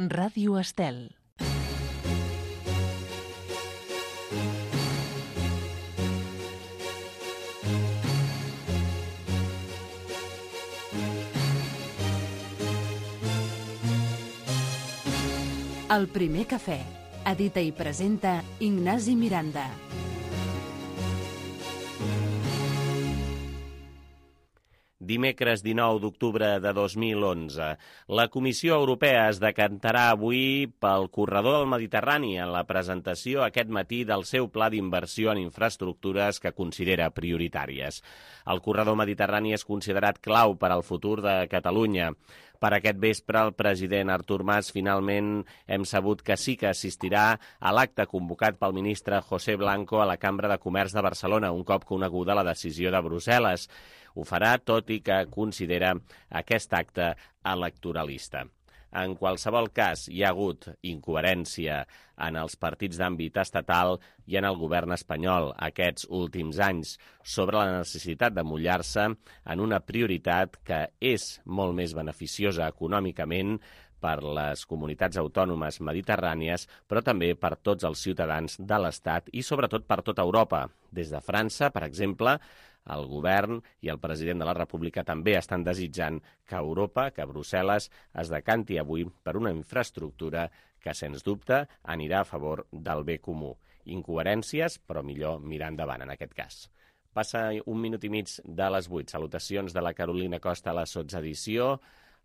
Ràdio Estel. El primer cafè. Edita i presenta Ignasi Miranda. Dimecres 19 d'octubre de 2011. La Comissió Europea es decantarà avui pel corredor del Mediterrani en la presentació aquest matí del seu pla d'inversió en infraestructures que considera prioritàries. El corredor mediterrani és considerat clau per al futur de Catalunya. Per aquest vespre, el president Artur Mas finalment hem sabut que sí que assistirà a l'acte convocat pel ministre José Blanco a la Cambra de Comerç de Barcelona, un cop coneguda la decisió de Brussel·les. Ho farà tot i que considera aquest acte electoralista. En qualsevol cas, hi ha hagut incoherència en els partits d'àmbit estatal i en el govern espanyol aquests últims anys sobre la necessitat de mullar-se en una prioritat que és molt més beneficiosa econòmicament per les comunitats autònomes mediterrànies, però també per tots els ciutadans de l'Estat i sobretot per tota Europa. Des de França, per exemple, el govern i el president de la República també estan desitjant que Europa, que Brussel·les, es decanti avui per una infraestructura que, sens dubte, anirà a favor del bé comú. Incoherències, però millor mirar endavant en aquest cas. Passa un minut i mig de les 8. Salutacions de la Carolina Costa a la sotsedició,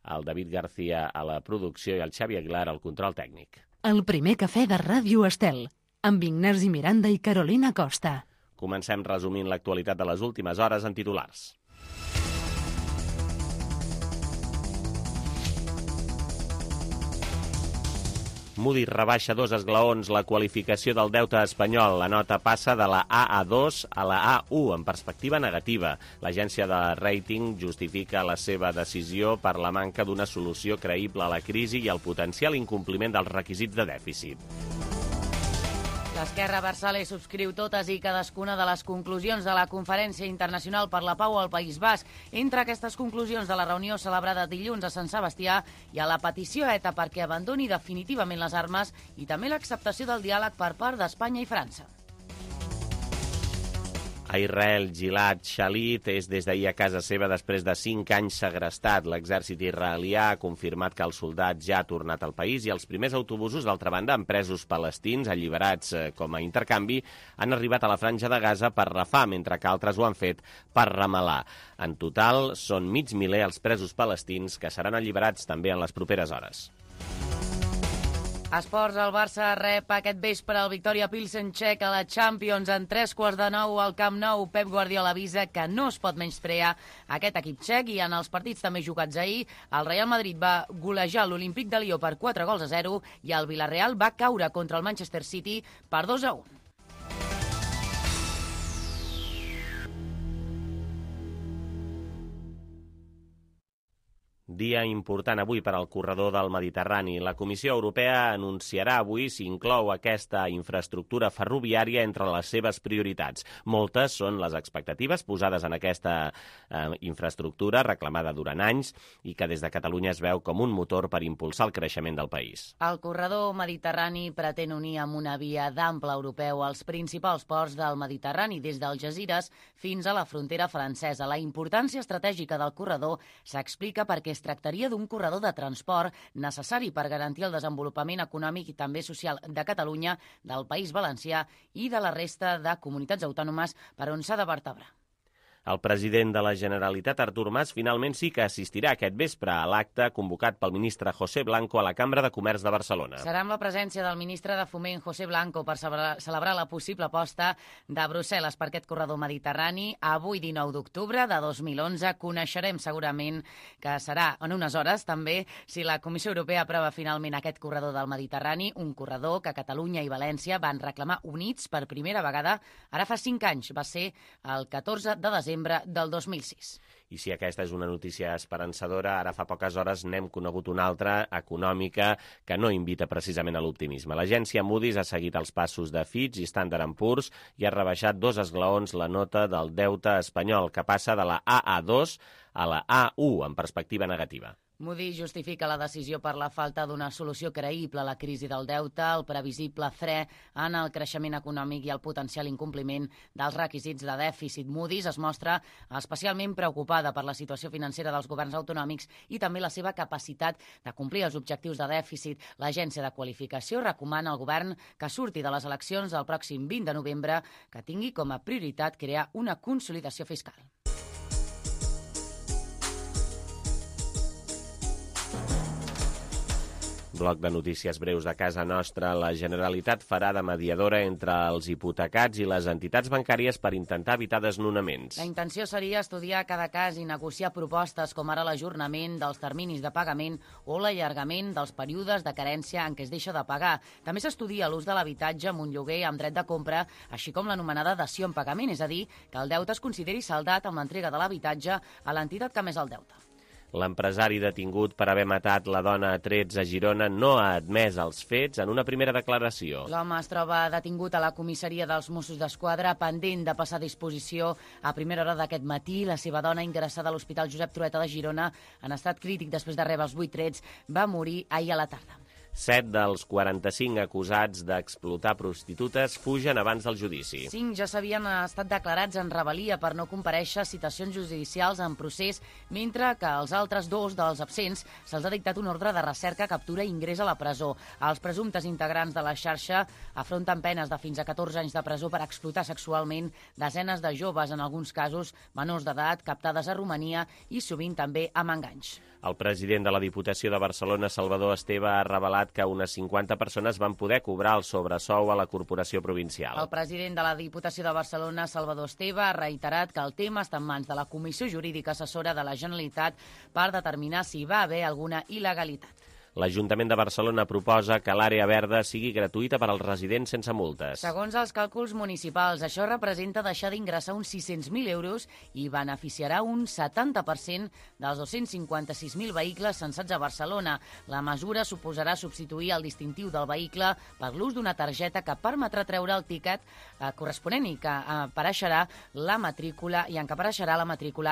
el David García a la producció i el Xavi Aguilar al control tècnic. El primer cafè de Ràdio Estel, amb Ignasi Miranda i Carolina Costa. Comencem resumint l'actualitat de les últimes hores en titulars. Moody's rebaixa 2 esglaons la qualificació del deute espanyol. La nota passa de la AA2 a la A1 en perspectiva negativa. L'agència de rating justifica la seva decisió per la manca d'una solució creïble a la crisi i el potencial incompliment dels requisits de dèficit. L'Esquerra Abertzale subscriu totes i cadascuna de les conclusions de la Conferència Internacional per la Pau al País Basc. Entre aquestes conclusions de la reunió celebrada dilluns a Sant Sebastià hi ha la petició a ETA perquè abandoni definitivament les armes i també l'acceptació del diàleg per part d'Espanya i França. A Israel, Gilad Shalit és des d'ahir a casa seva després de 5 anys segrestat. L'exèrcit israelià ha confirmat que el soldat ja ha tornat al país i els primers autobusos, d'altra banda, amb presos palestins alliberats com a intercanvi, han arribat a la franja de Gaza per Rafah, mentre que altres ho han fet per Ramallah. En total, són 500.000 els presos palestins que seran alliberats també en les properes hores. Esports, el Barça rep aquest vespre el Victoria Pilsen txec a la Champions en 3:15 al Camp Nou. Pep Guardiola avisa que no es pot menysprear aquest equip txec i en els partits també jugats ahir, el Real Madrid va golejar l'Olímpic de Lió per 4-0 i el Villarreal va caure contra el Manchester City per 2-1. Dia important avui per al corredor del Mediterrani. La Comissió Europea anunciarà avui si inclou aquesta infraestructura ferroviària entre les seves prioritats. Moltes són les expectatives posades en aquesta infraestructura reclamada durant anys i que des de Catalunya es veu com un motor per impulsar el creixement del país. El corredor mediterrani pretén unir amb una via d'ample europeu els principals ports del Mediterrani, des d'Algesires fins a la frontera francesa. La importància estratègica del corredor s'explica perquè es tractaria d'un corredor de transport necessari per garantir el desenvolupament econòmic i també social de Catalunya, del País Valencià i de la resta de comunitats autònomes per on s'ha de vertebrar. El president de la Generalitat, Artur Mas, finalment sí que assistirà aquest vespre a l'acte convocat pel ministre José Blanco a la Cambra de Comerç de Barcelona. Serà amb la presència del ministre de Foment, José Blanco, per celebrar la possible aposta de Brussel·les per aquest corredor mediterrani. Avui, 19 d'octubre de 2011, coneixerem segurament que serà en unes hores també si la Comissió Europea aprova finalment aquest corredor del Mediterrani, un corredor que Catalunya i València van reclamar units per primera vegada ara fa 5 anys. Va ser el 14 de desembre del 2006. I si aquesta és una notícia esperançadora, ara fa poques hores n'hem conegut una altra, econòmica, que no invita precisament a l'optimisme. L'agència Moody's ha seguit els passos de Fitch i Standard & Poor's i ha rebaixat 2 esglaons la nota del deute espanyol, que passa de la AA2 a la A1 en perspectiva negativa. Moody's justifica la decisió per la falta d'una solució creïble a la crisi del deute, el previsible fre en el creixement econòmic i el potencial incompliment dels requisits de dèficit. Moody's es mostra especialment preocupada per la situació financera dels governs autonòmics i també la seva capacitat de complir els objectius de dèficit. L'agència de qualificació recomana al govern que surti de les eleccions del pròxim 20 de novembre que tingui com a prioritat crear una consolidació fiscal. Bloc de notícies breus de casa nostra. La Generalitat farà de mediadora entre els hipotecats i les entitats bancàries per intentar evitar desnonaments. La intenció seria estudiar cada cas i negociar propostes com ara l'ajornament dels terminis de pagament o l'allargament dels períodes de carència en què es deixa de pagar. També s'estudia l'ús de l'habitatge amb un lloguer amb dret de compra, així com l'anomenada dació en pagament, és a dir, que el deute es consideri saldat amb l'entrega de l'habitatge a l'entitat que ha emès el deute. L'empresari detingut per haver matat la dona a trets a Girona no ha admès els fets en una primera declaració. L'home es troba detingut a la comissaria dels Mossos d'Esquadra, pendent de passar a disposició a primera hora d'aquest matí. La seva dona, ingressada a l'Hospital Josep Trueta de Girona, en estat crític després de rebre els 8 trets, va morir ahir a la tarda. 7 dels 45 acusats d'explotar prostitutes fugen abans del judici. 5 ja s'havien estat declarats en rebel·lia per no comparèixer a citacions judicials en procés, mentre que als altres 2 dels absents se'ls ha dictat un ordre de recerca, captura i ingrés a la presó. Els presumptes integrants de la xarxa afronten penes de fins a 14 anys de presó per explotar sexualment desenes de joves, en alguns casos menors d'edat, captades a Romania i sovint també amb enganys. El president de la Diputació de Barcelona, Salvador Esteve, ha revelat que unes 50 persones van poder cobrar el sobresou a la corporació provincial. El president de la Diputació de Barcelona, Salvador Esteve, ha reiterat que el tema està en mans de la Comissió Jurídica Assessora de la Generalitat per determinar si va haver alguna il·legalitat. L'Ajuntament de Barcelona proposa que l'àrea verda sigui gratuïta per als residents sense multes. Segons els càlculs municipals, això representa deixar d'ingressar uns 600.000 euros i beneficiarà un 70% dels 256.000 vehicles censats a Barcelona. La mesura suposarà substituir el distintiu del vehicle per l'ús d'una targeta que permetrà treure el tiquet corresponent i que apareixerà la matrícula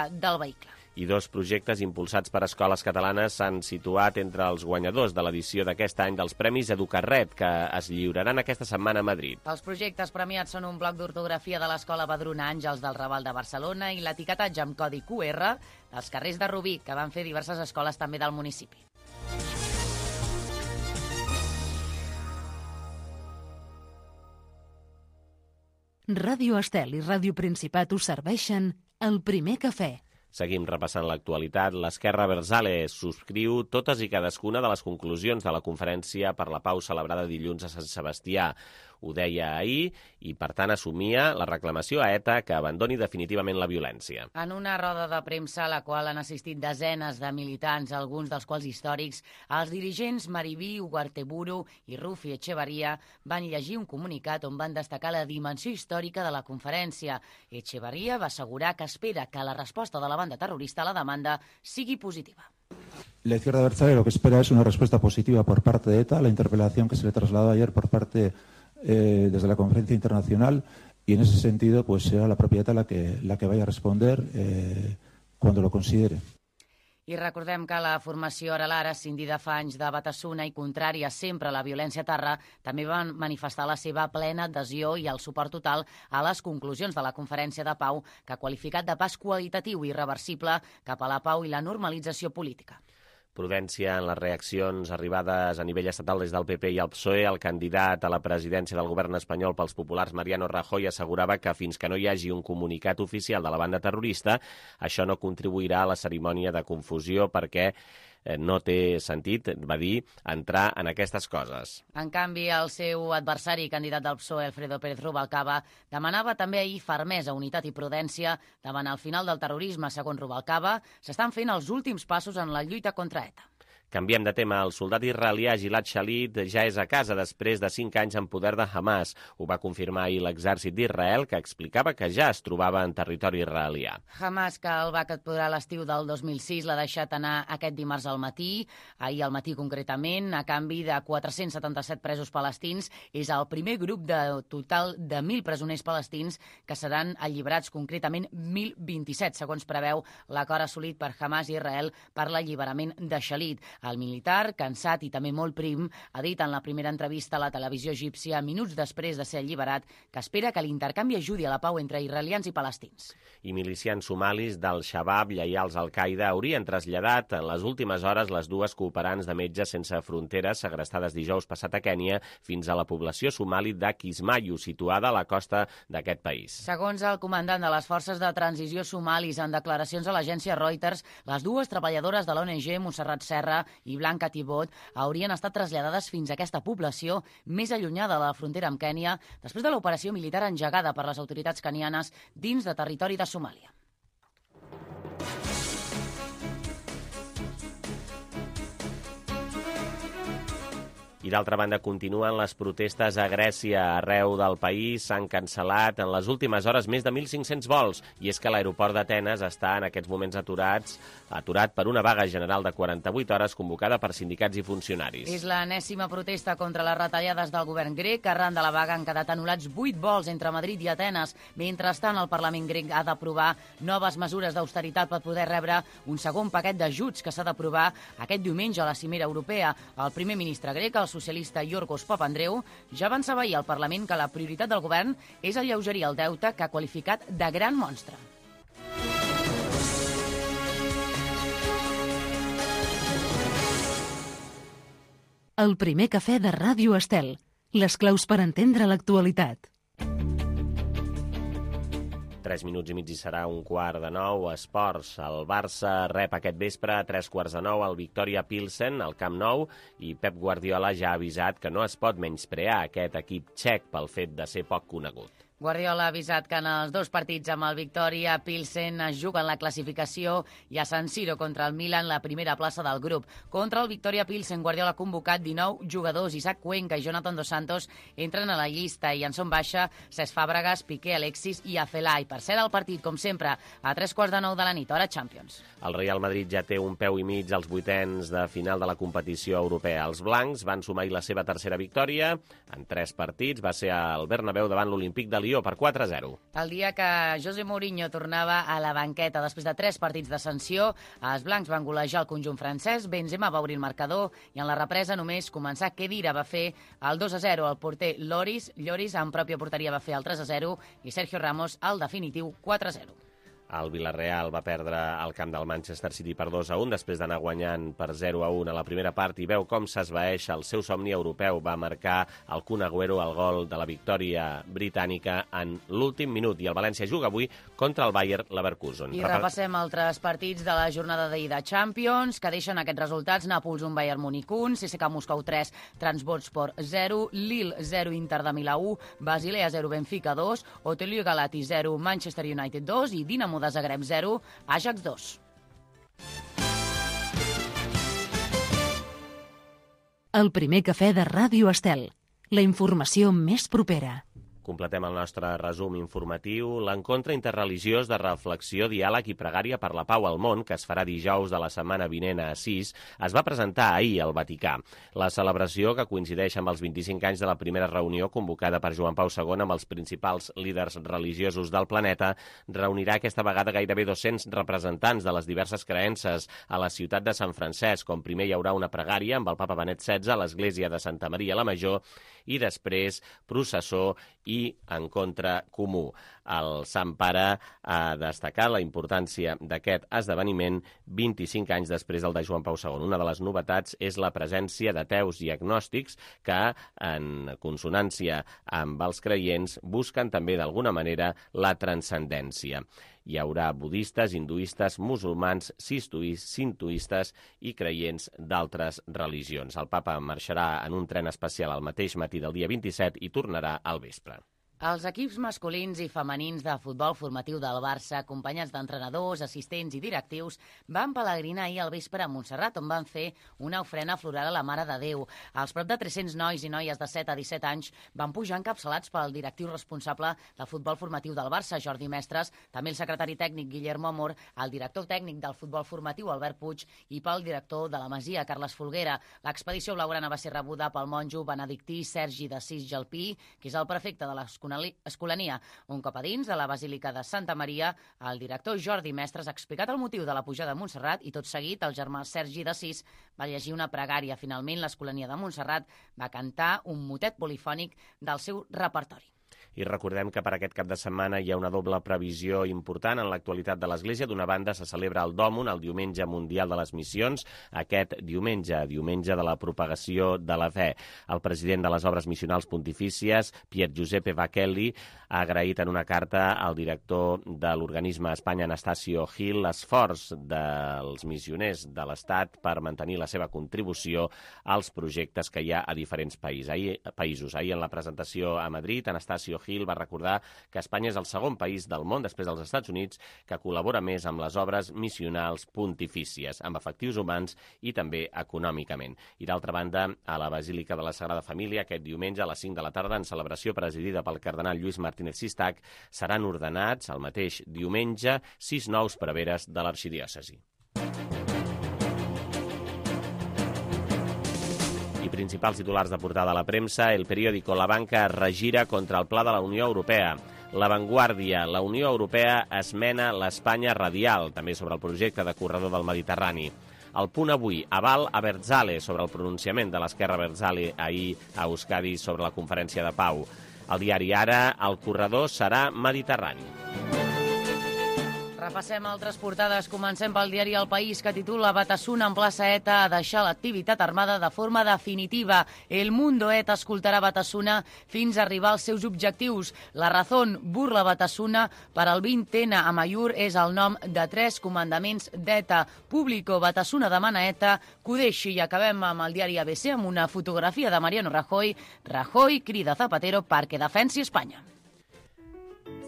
del vehicle. I 2 projectes impulsats per escoles catalanes s'han situat entre els guanyadors de l'edició d'aquest any dels Premis Educarret, que es lliuraran aquesta setmana a Madrid. Els projectes premiats són un bloc d'ortografia de l'Escola Badruna Àngels del Raval de Barcelona i l'etiquetatge amb codi QR dels carrers de Rubí, que van fer diverses escoles també del municipi. Ràdio Estel i Ràdio Principat us serveixen el primer cafè. Seguim repassant l'actualitat. L'Esquerra Abertzale subscriu totes i cadascuna de les conclusions de la conferència per la pau celebrada dilluns a Sant Sebastià. Ho deia ahir i, per tant, assumia la reclamació a ETA que abandoni definitivament la violència. En una roda de premsa a la qual han assistit desenes de militants, alguns dels quals històrics, els dirigents Mariví, Ugarteburu i Rufi Echevarria van llegir un comunicat on van destacar la dimensió històrica de la conferència. Echevarria va assegurar que espera que la resposta de la banda terrorista a la demanda sigui positiva. La izquierda abertzale lo que espera es una respuesta positiva por parte de ETA a la interpelación que se le trasladó ayer por parte desde la conferencia internacional, y en ese sentido pues será la propia ETA la que vaya a responder cuando lo considere. I recordem que la formació Aralara, escindida fa anys de Batasuna i contrària sempre a la violència a terra, també van manifestar la seva plena adhesió i el suport total a les conclusions de la conferència de pau, que ha qualificat de pas qualitatiu i irreversible cap a la pau i la normalització política. Prudència en les reaccions arribades a nivell estatal des del PP i el PSOE. El candidat a la presidència del govern espanyol pels populars, Mariano Rajoy, assegurava que fins que no hi hagi un comunicat oficial de la banda terrorista, això no contribuirà a la cerimònia de confusió perquè no té sentit, va dir, entrar en aquestes coses. En canvi, el seu adversari, candidat del PSOE, Alfredo Pérez Rubalcaba, demanava també ahir fermesa, unitat i prudència davant el final del terrorisme. Segons Rubalcaba, s'estan fent els últims passos en la lluita contra ETA. Canviem de tema. El soldat israelià Gilad Shalit ja és a casa després de 5 anys en poder de Hamas. Ho va confirmar ahir l'exèrcit d'Israel, que explicava que ja es trobava en territori israelià. Hamas, que el va capturar l'estiu del 2006, l'ha deixat anar aquest dimarts al matí, ahir al matí concretament, a canvi de 477 presos palestins. És el primer grup de total de 1.000 presoners palestins que seran alliberats, concretament 1.027, segons preveu l'acord assolit per Hamas i Israel per l'alliberament de Shalit. El militar, cansat i també molt prim, ha dit en la primera entrevista a la televisió egípcia, minuts després de ser alliberat, que espera que l'intercanvi ajudi a la pau entre israelians i palestins. I milicians somalis del Shabab, lleials al Qaeda, haurien traslladat en les últimes hores les dues cooperants de Metges Sense Fronteres segrestades dijous passat a Kènia fins a la població somali de Kismayo, situada a la costa d'aquest país. Segons el comandant de les forces de transició somalis, en declaracions a l'agència Reuters, les dues treballadores de l'ONG, Montserrat Serra i Blanca Tibot, haurien estat traslladades fins a aquesta població més allunyada de la frontera amb Kènia després de l'operació militar engegada per les autoritats kenianes dins de territori de Somàlia. I d'altra banda, continuen les protestes a Grècia. Arreu del país s'han cancel·lat en les últimes hores més de 1.500 vols, i és que l'aeroport d'Atenes està en aquests moments aturat per una vaga general de 48 hores convocada per sindicats i funcionaris. És l'enèsima protesta contra les retallades del govern grec. Arran de la vaga han quedat anul·lats 8 vols entre Madrid i Atenes. Mentrestant, el Parlament grec ha d'aprovar noves mesures d'austeritat per poder rebre un segon paquet d'ajuts que s'ha d'aprovar aquest diumenge a la cimera europea. El primer ministre grec, el socialista Yorgos Papandreou, ja va avançar ahir al Parlament que la prioritat del govern és alleugerir el deute que ha qualificat de gran monstre. El primer cafè de Ràdio Estel. Les claus per entendre l'actualitat. 3 minuts i mig i serà 8:45. Esports. El Barça rep aquest vespre a 8:45 el Victoria Pilsen al Camp Nou, i Pep Guardiola ja ha avisat que no es pot menysprear aquest equip txec pel fet de ser poc conegut. Guardiola ha avisat que en els dos partits amb el Victoria Pilsen es juguen la classificació i a San Siro contra el Milan la primera plaça del grup. Contra el Victoria Pilsen, Guardiola ha convocat 19 jugadors. Isaac Cuenca i Jonathan Dos Santos entren a la llista i en són baixa Cesc Fàbregas, Piqué, Alexis i Afelai. Per ser el partit, com sempre, a 8:45 de la nit, hora Champions. El Real Madrid ja té un peu i mig als vuitens de final de la competició europea. Els blancs van sumar la seva tercera victòria en 3 partits. Va ser al Bernabéu davant l'Olímpic de Lió per 4-0. El dia que José Mourinho tornava a la banqueta després de 3 partits de sanció, els blancs van golejar el conjunt francès, Benzema va obrir el marcador i en la represa només començar Khedira va fer el 2-0. El porter Lloris en pròpia porteria va fer el 3-0 i Sergio Ramos el definitiu 4-0. El Villarreal va perdre al camp del Manchester City per 2-1 després d'anar guanyant per 0-1 a la primera part, i veu com s'esvaeix el seu somni europeu. Va marcar el Kun Agüero el gol de la victòria britànica en l'últim minut, i el València juga avui contra el Bayer Leverkusen. I repassem altres partits de la jornada d'ahir de Champions que deixen aquests resultats: Nàpols 1, Bayern Múnich 1, CSKA Moscou 3, Trabzonspor 0, Lille 0, Inter de Milà 1, Basilea 0, Benfica 2, Otelio Galati 0, Manchester United 2 i Dinamo de Zagreb 0, Ajax 2. El primer cafè de Ràdio Estel. La informació més propera. Completem el nostre resum informatiu. L'encontre interreligiós de reflexió, diàleg i pregària per la pau al món, que es farà dijous de la setmana vinent a Assís, es va presentar ahir al Vaticà. La celebració, que coincideix amb els 25 anys de la primera reunió convocada per Joan Pau II amb els principals líders religiosos del planeta, reunirà aquesta vegada gairebé 200 representants de les diverses creences a la ciutat de Sant Francesc, on primer hi haurà una pregària amb el papa Benet XVI a l'església de Santa Maria la Major i després processó i encontre comú. El Sant Pare ha destacat la importància d'aquest esdeveniment 25 anys després del de Joan Pau II. Una de les novetats és la presència d'ateus i agnòstics que, en consonància amb els creients, busquen també d'alguna manera la transcendència. Hi haurà budistes, hinduistes, musulmans, sintoistes i creients d'altres religions. El papa marxarà en un tren especial al mateix matí del dia 27 i tornarà al vespre. Els equips masculins i femenins de futbol formatiu del Barça, acompanyats d'entrenadors, assistents i directius, van pelegrinar ahir al vespre a Montserrat, on van fer una ofrena floral a la Mare de Déu. Els prop de 300 nois i noies de 7 a 17 anys van pujar encapçalats pel directiu responsable de futbol formatiu del Barça, Jordi Mestres, també el secretari tècnic Guillermo Amor, el director tècnic del futbol formatiu Albert Puig i pel director de la Masia, Carles Folguera. L'expedició blaugrana va ser rebuda pel monjo benedictí Sergi d'Assís Gelpí, que és el prefecte de l'Escolania. Un cop a dins de la Basílica de Santa Maria, el director Jordi Mestres ha explicat el motiu de la pujada a Montserrat i tot seguit el germà Sergi d'Assís va llegir una pregària. Finalment, l'Escolania de Montserrat va cantar un motet polifònic del seu repertori. I recordem que per aquest cap de setmana hi ha una doble previsió important en l'actualitat de l'Església. D'una banda, se celebra el Dòmun, el Diumenge Mundial de les Missions, aquest diumenge de la propagació de la fe. El president de les Obres Missionals Pontifícies, Pier Giuseppe Vachelli, ha agraït en una carta al director de l'organisme a Espanya, Anastasio Gil, l'esforç dels missioners de l'Estat per mantenir la seva contribució als projectes que hi ha a diferents països. Ahir, en la presentació a Madrid, Anastasio Gil va recordar que Espanya és el segon país del món, després dels Estats Units, que col·labora més amb les obres missionals pontifícies, amb efectius humans i també econòmicament. I d'altra banda, a la Basílica de la Sagrada Família, aquest diumenge a les 5 de la tarda, en celebració presidida pel cardenal Lluís Martínez Sistac, seran ordenats el mateix diumenge 6 nous preveres de l'arxidiòcesi. I principals titulars de portada a la premsa, el periòdico La Banca es regira contra el pla de la Unió Europea. La Vanguardia, la Unió Europea esmena l'Espanya radial, també sobre el projecte de corredor del Mediterrani. El Punt Avui, aval a Berzale sobre el pronunciament de l'esquerra Berzale ahir a Euskadi sobre la conferència de pau. El diari Ara, el corredor serà mediterrani. Repassem altres portades. Comencem pel diari El País, que titula Batasuna emplaça ETA a deixar l'activitat armada de forma definitiva. El Mundo ETA escoltarà Batasuna fins a arribar als seus objectius. La Razón burla Batasuna per al 20N a Mayur és el nom de 3 comandaments d'ETA. Público, Batasuna demana ETA que ho deixi. I acabem amb el diari ABC amb una fotografia de Mariano Rajoy. Rajoy crida Zapatero perquè defensi Espanya.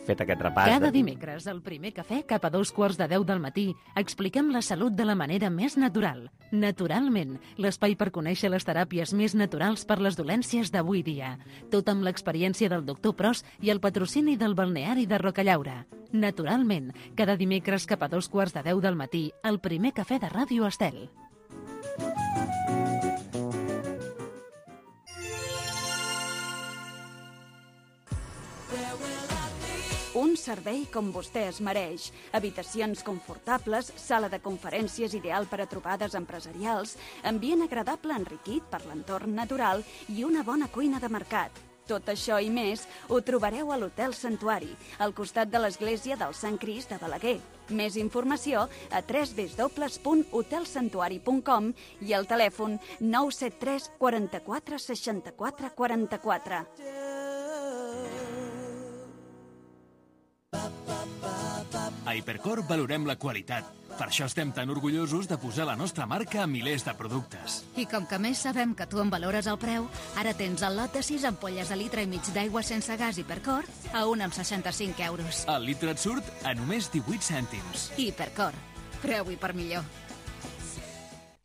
Fet aquest repàs... Cada dimecres, al primer cafè, cap a 2:45 del matí, expliquem la salut de la manera més natural. Naturalment, l'espai per conèixer les teràpies més naturals per les dolències d'avui dia. Tot amb l'experiència del doctor Pros i el patrocini del balneari de Rocallaura. Naturalment, cada dimecres cap a 2:45 del matí, al primer cafè de Ràdio Estel. Un servei com vostè es mereix. Habitacions confortables, sala de conferències ideal per a trobades empresarials, ambient agradable enriquit per l'entorn natural i una bona cuina de mercat. Tot això i més ho trobareu a l'Hotel Santuari, al costat de l'església del Sant Crist de Balaguer. Més informació a www.hotelsantuari.com i al telèfon 973 44 64 44. A Hipercor valorem la qualitat. Per això estem tan orgullosos de posar la nostra marca a milers de productes. I com que més sabem que tu en valores el preu, ara tens el lot de 6 ampolles de litre i mig d'aigua sense gas Hipercor a 1 amb 65 euros. El litre et surt a només 18 cèntims. Hipercor. Preu-hi per millor.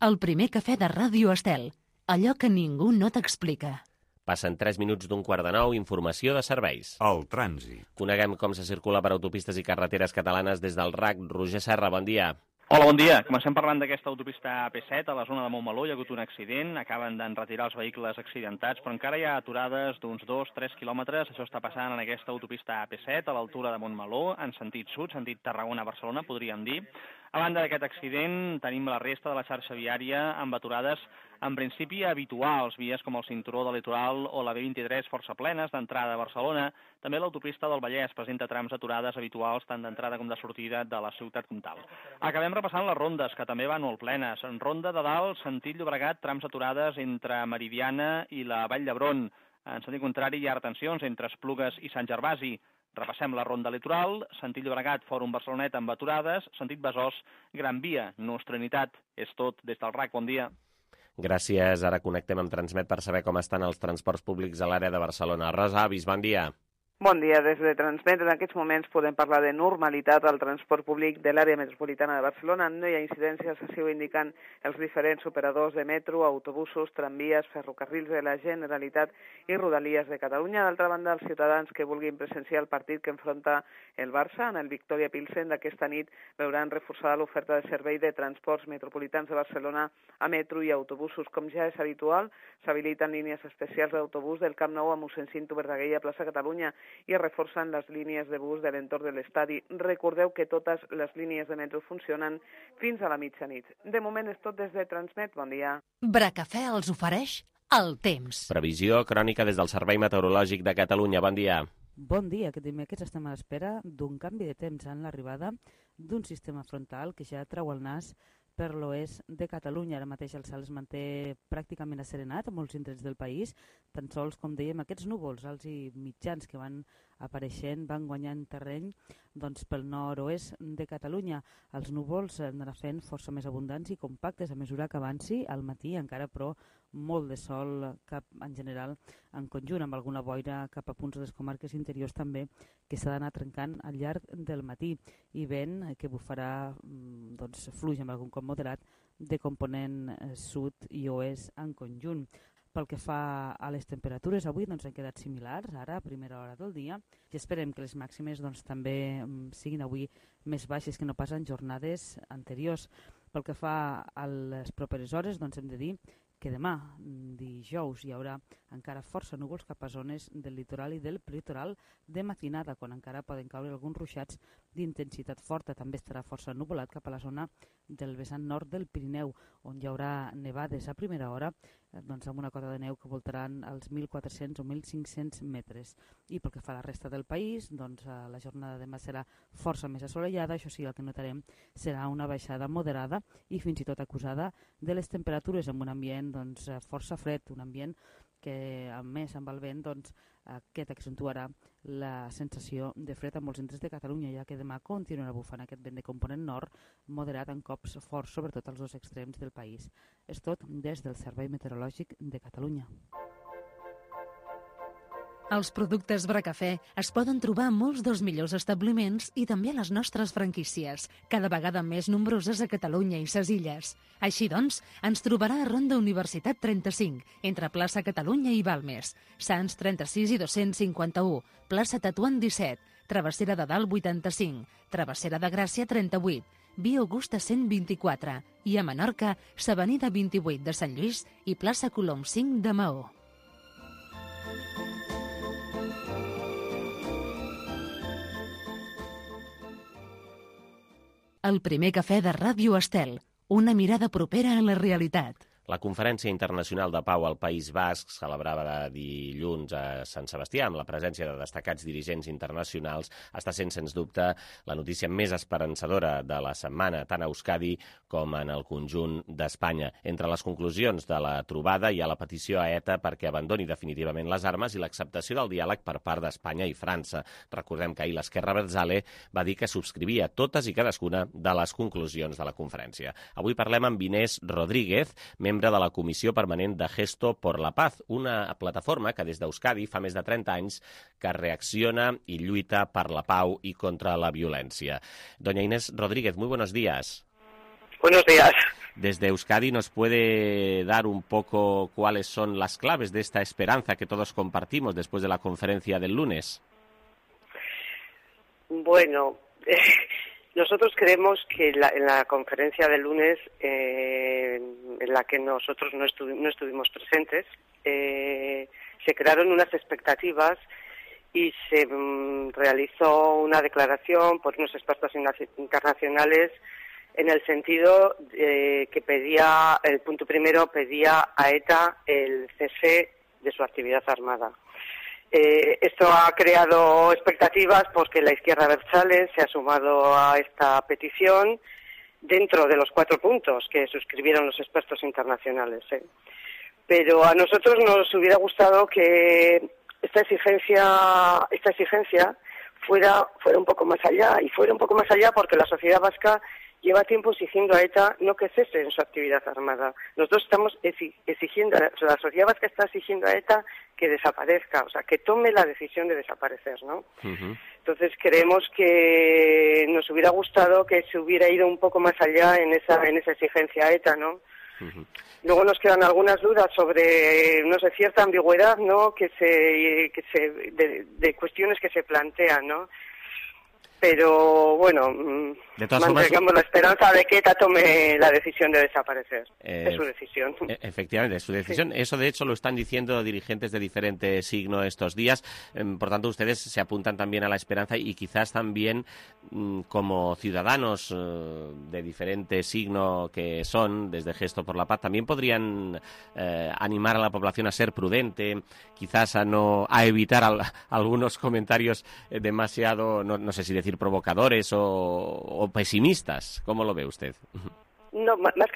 El primer cafè de Ràdio Estel. Allò que ningú no t'explica. Passen 3 minuts d'8:45, informació de serveis. El trànsit. Coneguem com se circula per autopistes i carreteres catalanes des del RAC. Roger Serra, bon dia. Hola, bon dia. Comencem parlant d'aquesta autopista AP7 a la zona de Montmeló. Hi ha hagut un accident, acaben d'enretirar els vehicles accidentats, però encara hi ha aturades d'uns 2-3 quilòmetres. Això està passant en aquesta autopista AP7 a l'altura de Montmeló, en sentit sud, sentit Tarragona-Barcelona, podríem dir. A banda d'aquest accident, tenim la resta de la xarxa viària amb aturades en principi habituals, vies com el cinturó de Litoral o la B23 força plenes d'entrada a Barcelona. També l'autopista del Vallès presenta trams aturades habituals tant d'entrada com de sortida de la ciutat comtal. Acabem repassant les rondes, que també van molt plenes. En ronda de dalt, sentit Llobregat, trams aturades entre Meridiana i la Vall d'Hebron. En sentit contrari, hi ha retencions entre Esplugues i Sant Gervasi. Repassem la ronda litoral, sentit Llobregat, Fòrum Barcelonet amb aturades, sentit Besòs, Gran Via, Nostra Unitat. És tot des del RAC, bon dia. Gràcies, ara connectem amb Transmet per saber com estan els transports públics a l'àrea de Barcelona. Rosa Avis, bon dia. Bon dia, des de Transmet. En aquests moments podem parlar de normalitat al transport públic de l'àrea metropolitana de Barcelona. No hi ha incidències, així ho indiquen els diferents operadors de metro, autobusos, tramvies, ferrocarrils de la Generalitat i Rodalies de Catalunya. D'altra banda, els ciutadans que vulguin presenciar el partit que enfronta el Barça en el Victoria Pilsen d'aquesta nit veuran reforçada l'oferta de servei de transports metropolitans de Barcelona a metro i autobusos. Com ja és habitual, s'habiliten línies especials d'autobús del Camp Nou a mossèn Cinto Verdaguer i a plaça Catalunya i es reforcen les línies de bus de l'entorn de l'estadi. Recordeu que totes les línies de metro funcionen fins a la mitjanit. De moment és tot des de Transmet. Bon dia. Bracafè els ofereix el temps. Previsió crònica des del Servei Meteorològic de Catalunya. Bon dia. Bon dia. Aquest dimecres estem a l'espera d'un canvi de temps en l'arribada d'un sistema frontal que ja treu el nas per l'oest de Catalunya. Ara mateix el cel es manté pràcticament asserenat a molts indrets del país. Tan sols, com dèiem, aquests núvols alts i mitjans que van apareixent, van guanyant terreny pel nord-oest de Catalunya. Els núvols anaran fent força més abundants i compactes a mesura que avanci al matí, encara però molt de sol cap en general en conjunt, amb alguna boira cap a punts de les comarques interiors també que s'ha d'anar trencant al llarg del matí, i vent que bufarà fluix amb algun cop moderat de component sud i oest en conjunt. Pel que fa a les temperatures, avui han quedat similars, ara a primera hora del dia, i esperem que les màximes també siguin avui més baixes que no pas en jornades anteriors. Pel que fa a les properes hores, hem de dir que demà, dijous, hi haurà encara força núvols cap a zones del litoral i del prelitoral de matinada, quan encara poden caure alguns ruixats d'intensitat forta. També estarà força ennuvolat cap a la zona del vessant nord del Pirineu, on hi haurà nevades a primera hora, amb una cota de neu que voltaran els 1.400 o 1.500 metres. I pel que fa a la resta del país, la jornada de demà serà força més assolellada. Això sí, el que notarem serà una baixada moderada i fins i tot acusada de les temperatures, amb un ambient força fred, un ambient que, a més, amb el vent, aquest accentuarà la sensació de fred a molts indrets de Catalunya, ja que demà continuarà bufant aquest vent de component nord moderat en cops forts, sobretot als dos extrems del país. És tot des del Servei Meteorològic de Catalunya. Els productes Bracafè es poden trobar a molts dels millors establiments i també a les nostres franquícies, cada vegada més nombroses a Catalunya i ses illes. Així doncs, ens trobarà a Ronda Universitat 35, entre plaça Catalunya i Balmes, Sants 36 i 251, plaça Tatuant 17, Travessera de Dalt 85, Travessera de Gràcia 38, Via Augusta 124 i a Menorca, s'Avenida 28 de Sant Lluís i plaça Colom 5 de Maó. El primer cafè de Ràdio Estel, una mirada propera a la realitat. La Conferència Internacional de Pau al País Basc, celebrada dilluns a Sant Sebastià, amb la presència de destacats dirigents internacionals, està sent, sens dubte, la notícia més esperançadora de la setmana, tant a Euskadi com en el conjunt d'Espanya. Entre les conclusions de la trobada hi ha la petició a ETA perquè abandoni definitivament les armes i l'acceptació del diàleg per part d'Espanya i França. Recordem que ahir l'Esquerra Abertzale va dir que subscrivia totes i cadascuna de les conclusions de la conferència. Avui parlem amb Inés Rodríguez, membre de la Comissió Permanent de Gesto por la Paz, una plataforma que des d'Euskadi fa més de 30 anys que reacciona i lluita per la pau i contra la violència. Doña Inés Rodríguez, muy buenos días. Buenos días. Desde Euskadi, ¿nos puede dar un poco cuáles son las claves de esta esperanza que todos compartimos después de la conferencia del lunes? Bueno, nosotros creemos que en la conferencia del lunes, en la que nosotros no estuvimos presentes, se crearon unas expectativas y se realizó una declaración por unos expertos internacionales en el sentido que pedía, el punto primero, pedía a ETA el cese de su actividad armada. Esto ha creado expectativas porque la izquierda abertzale se ha sumado a esta petición dentro de los 4 puntos que suscribieron los expertos internacionales. Pero a nosotros nos hubiera gustado que esta exigencia fuera un poco más allá, y fuera un poco más allá porque la sociedad vasca lleva tiempo exigiendo a ETA no que cese en su actividad armada. Nosotros estamos exigiendo, la sociedad vasca está exigiendo a ETA que desaparezca, o sea, que tome la decisión de desaparecer, ¿no? Uh-huh. Entonces creemos que nos hubiera gustado que se hubiera ido un poco más allá en esa exigencia a ETA, ¿no? Uh-huh. Luego nos quedan algunas dudas sobre, no sé, cierta ambigüedad, ¿no? De cuestiones que se plantean, ¿no? Pero bueno, mantengamos la esperanza de que ETA tome la decisión de desaparecer. Es su decisión. Efectivamente, es su decisión. Sí. Eso, de hecho, lo están diciendo dirigentes de diferente signo estos días. Por tanto, ustedes se apuntan también a la esperanza y quizás también como ciudadanos de diferente signo que son, desde Gesto por la Paz, también podrían animar a la población a ser prudente, quizás a evitar algunos comentarios demasiado, no sé si decir provocadores o pesimistas. ¿Cómo lo ve usted? No, más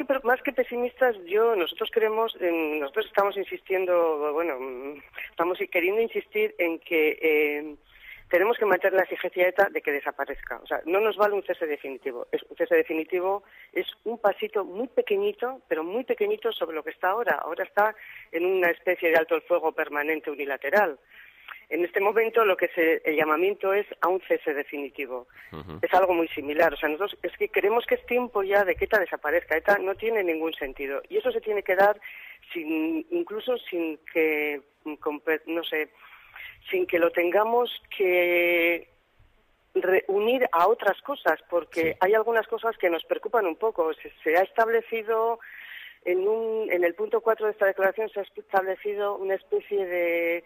que pesimistas, nosotros estamos insistiendo, estamos queriendo insistir en que tenemos que mantener la exigencia de ETA de que desaparezca. O sea, no nos vale un cese definitivo. Un cese definitivo es un pasito muy pequeñito, pero muy pequeñito sobre lo que está ahora. Ahora está en una especie de alto el fuego permanente unilateral. En este momento el llamamiento es a un cese definitivo. Uh-huh. Es algo muy similar. O sea, nosotros es que creemos que es tiempo ya de que ETA desaparezca. ETA no tiene ningún sentido. Y eso se tiene que dar incluso sin que lo tengamos que reunir a otras cosas, porque sí. Hay algunas cosas que nos preocupan un poco. Se ha establecido en el punto 4 de esta declaración se ha establecido una especie de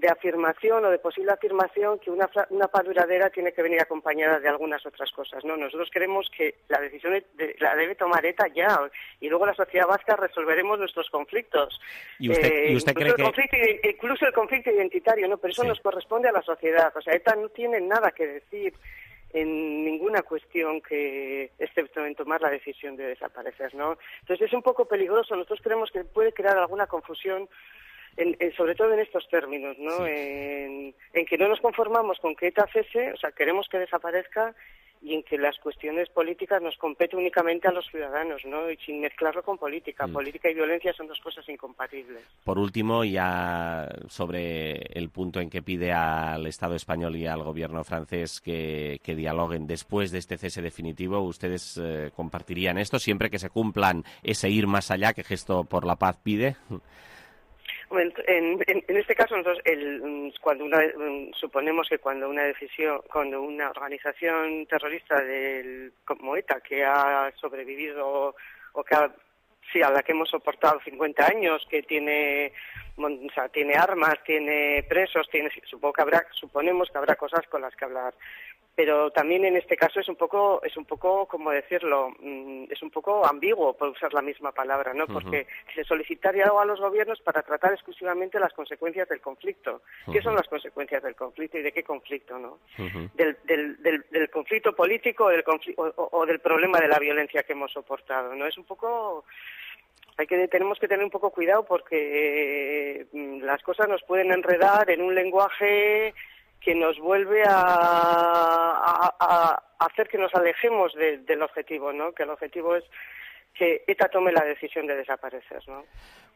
afirmación o de posible afirmación que una paz duradera tiene que venir acompañada de algunas otras cosas, ¿no? Nosotros creemos que la decisión la debe tomar ETA ya, y luego la sociedad vasca resolveremos nuestros conflictos. ¿Y usted cree que...? Incluso el conflicto identitario, ¿no? Pero eso nos corresponde a la sociedad. O sea, ETA no tiene nada que decir en ninguna cuestión excepto en tomar la decisión de desaparecer, ¿no? Entonces es un poco peligroso. Nosotros creemos que puede crear alguna confusión sobre todo en estos términos, ¿no? Sí. En que no nos conformamos con que ETA cese, o sea, queremos que desaparezca, y en que las cuestiones políticas nos competen únicamente a los ciudadanos, ¿no? Y sin mezclarlo con política. Política y violencia son dos cosas incompatibles. Por último, ya sobre el punto en que pide al Estado español y al gobierno francés que dialoguen después de este cese definitivo, ¿ustedes compartirían esto siempre que se cumplan ese ir más allá que Gesto por la Paz pide? En este caso, nosotros, suponemos que cuando una organización terrorista como ETA, que ha sobrevivido o que a la que hemos soportado 50 años, que tiene armas, tiene presos, suponemos que habrá cosas con las que hablar. Pero también en este caso es un poco, ¿cómo decirlo? Es un poco ambiguo, por usar la misma palabra, ¿no? Porque se solicitaría algo a los gobiernos para tratar exclusivamente las consecuencias del conflicto. ¿Qué son las consecuencias del conflicto y de qué conflicto, no? Del conflicto político o del problema de la violencia que hemos soportado, ¿no? Es un poco... Tenemos que tener un poco cuidado porque las cosas nos pueden enredar en un lenguaje que nos vuelve a hacer que nos alejemos del objetivo, ¿no? Que el objetivo es que ETA tome la decisión de desaparecer, ¿no?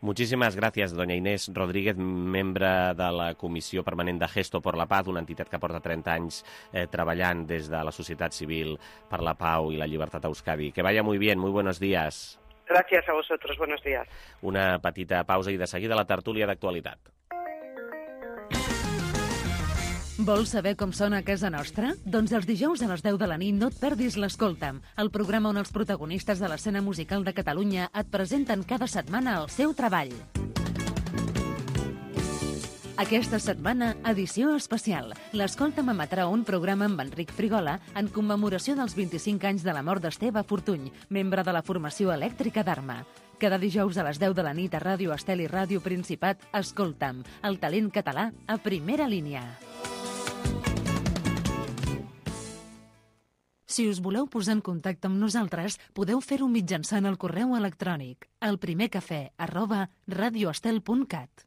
Muchísimes gràcies, doña Inés Rodríguez, membre de la Comissió Permanent de Gesto por la Paz, una entitat que porta 30 anys treballant des de la societat civil per la pau i la llibertat a Euskadi. Que vaya muy bien, muy buenos días. Gracias a vosotros, buenos días. Una petita pausa i de seguida la tertúlia d'actualitat. Vols saber com sona a casa nostra? Doncs els dijous a les 10 de la nit no et perdis l'Escolta'm, el programa on els protagonistes de l'escena musical de Catalunya et presenten cada setmana el seu treball. Aquesta setmana, edició especial. L'Escolta'm emetrà un programa amb Enric Frigola en commemoració dels 25 anys de la mort d'Esteve Fortuny, membre de la formació elèctrica d'Arma. Cada dijous a les 10 de la nit a Ràdio Estel i Ràdio Principat, Escolta'm, el talent català a primera línia. Si us voleu posar en contacte amb nosaltres, podeu fer-ho mitjançant el correu electrònic elprimercafè@radioestel.cat.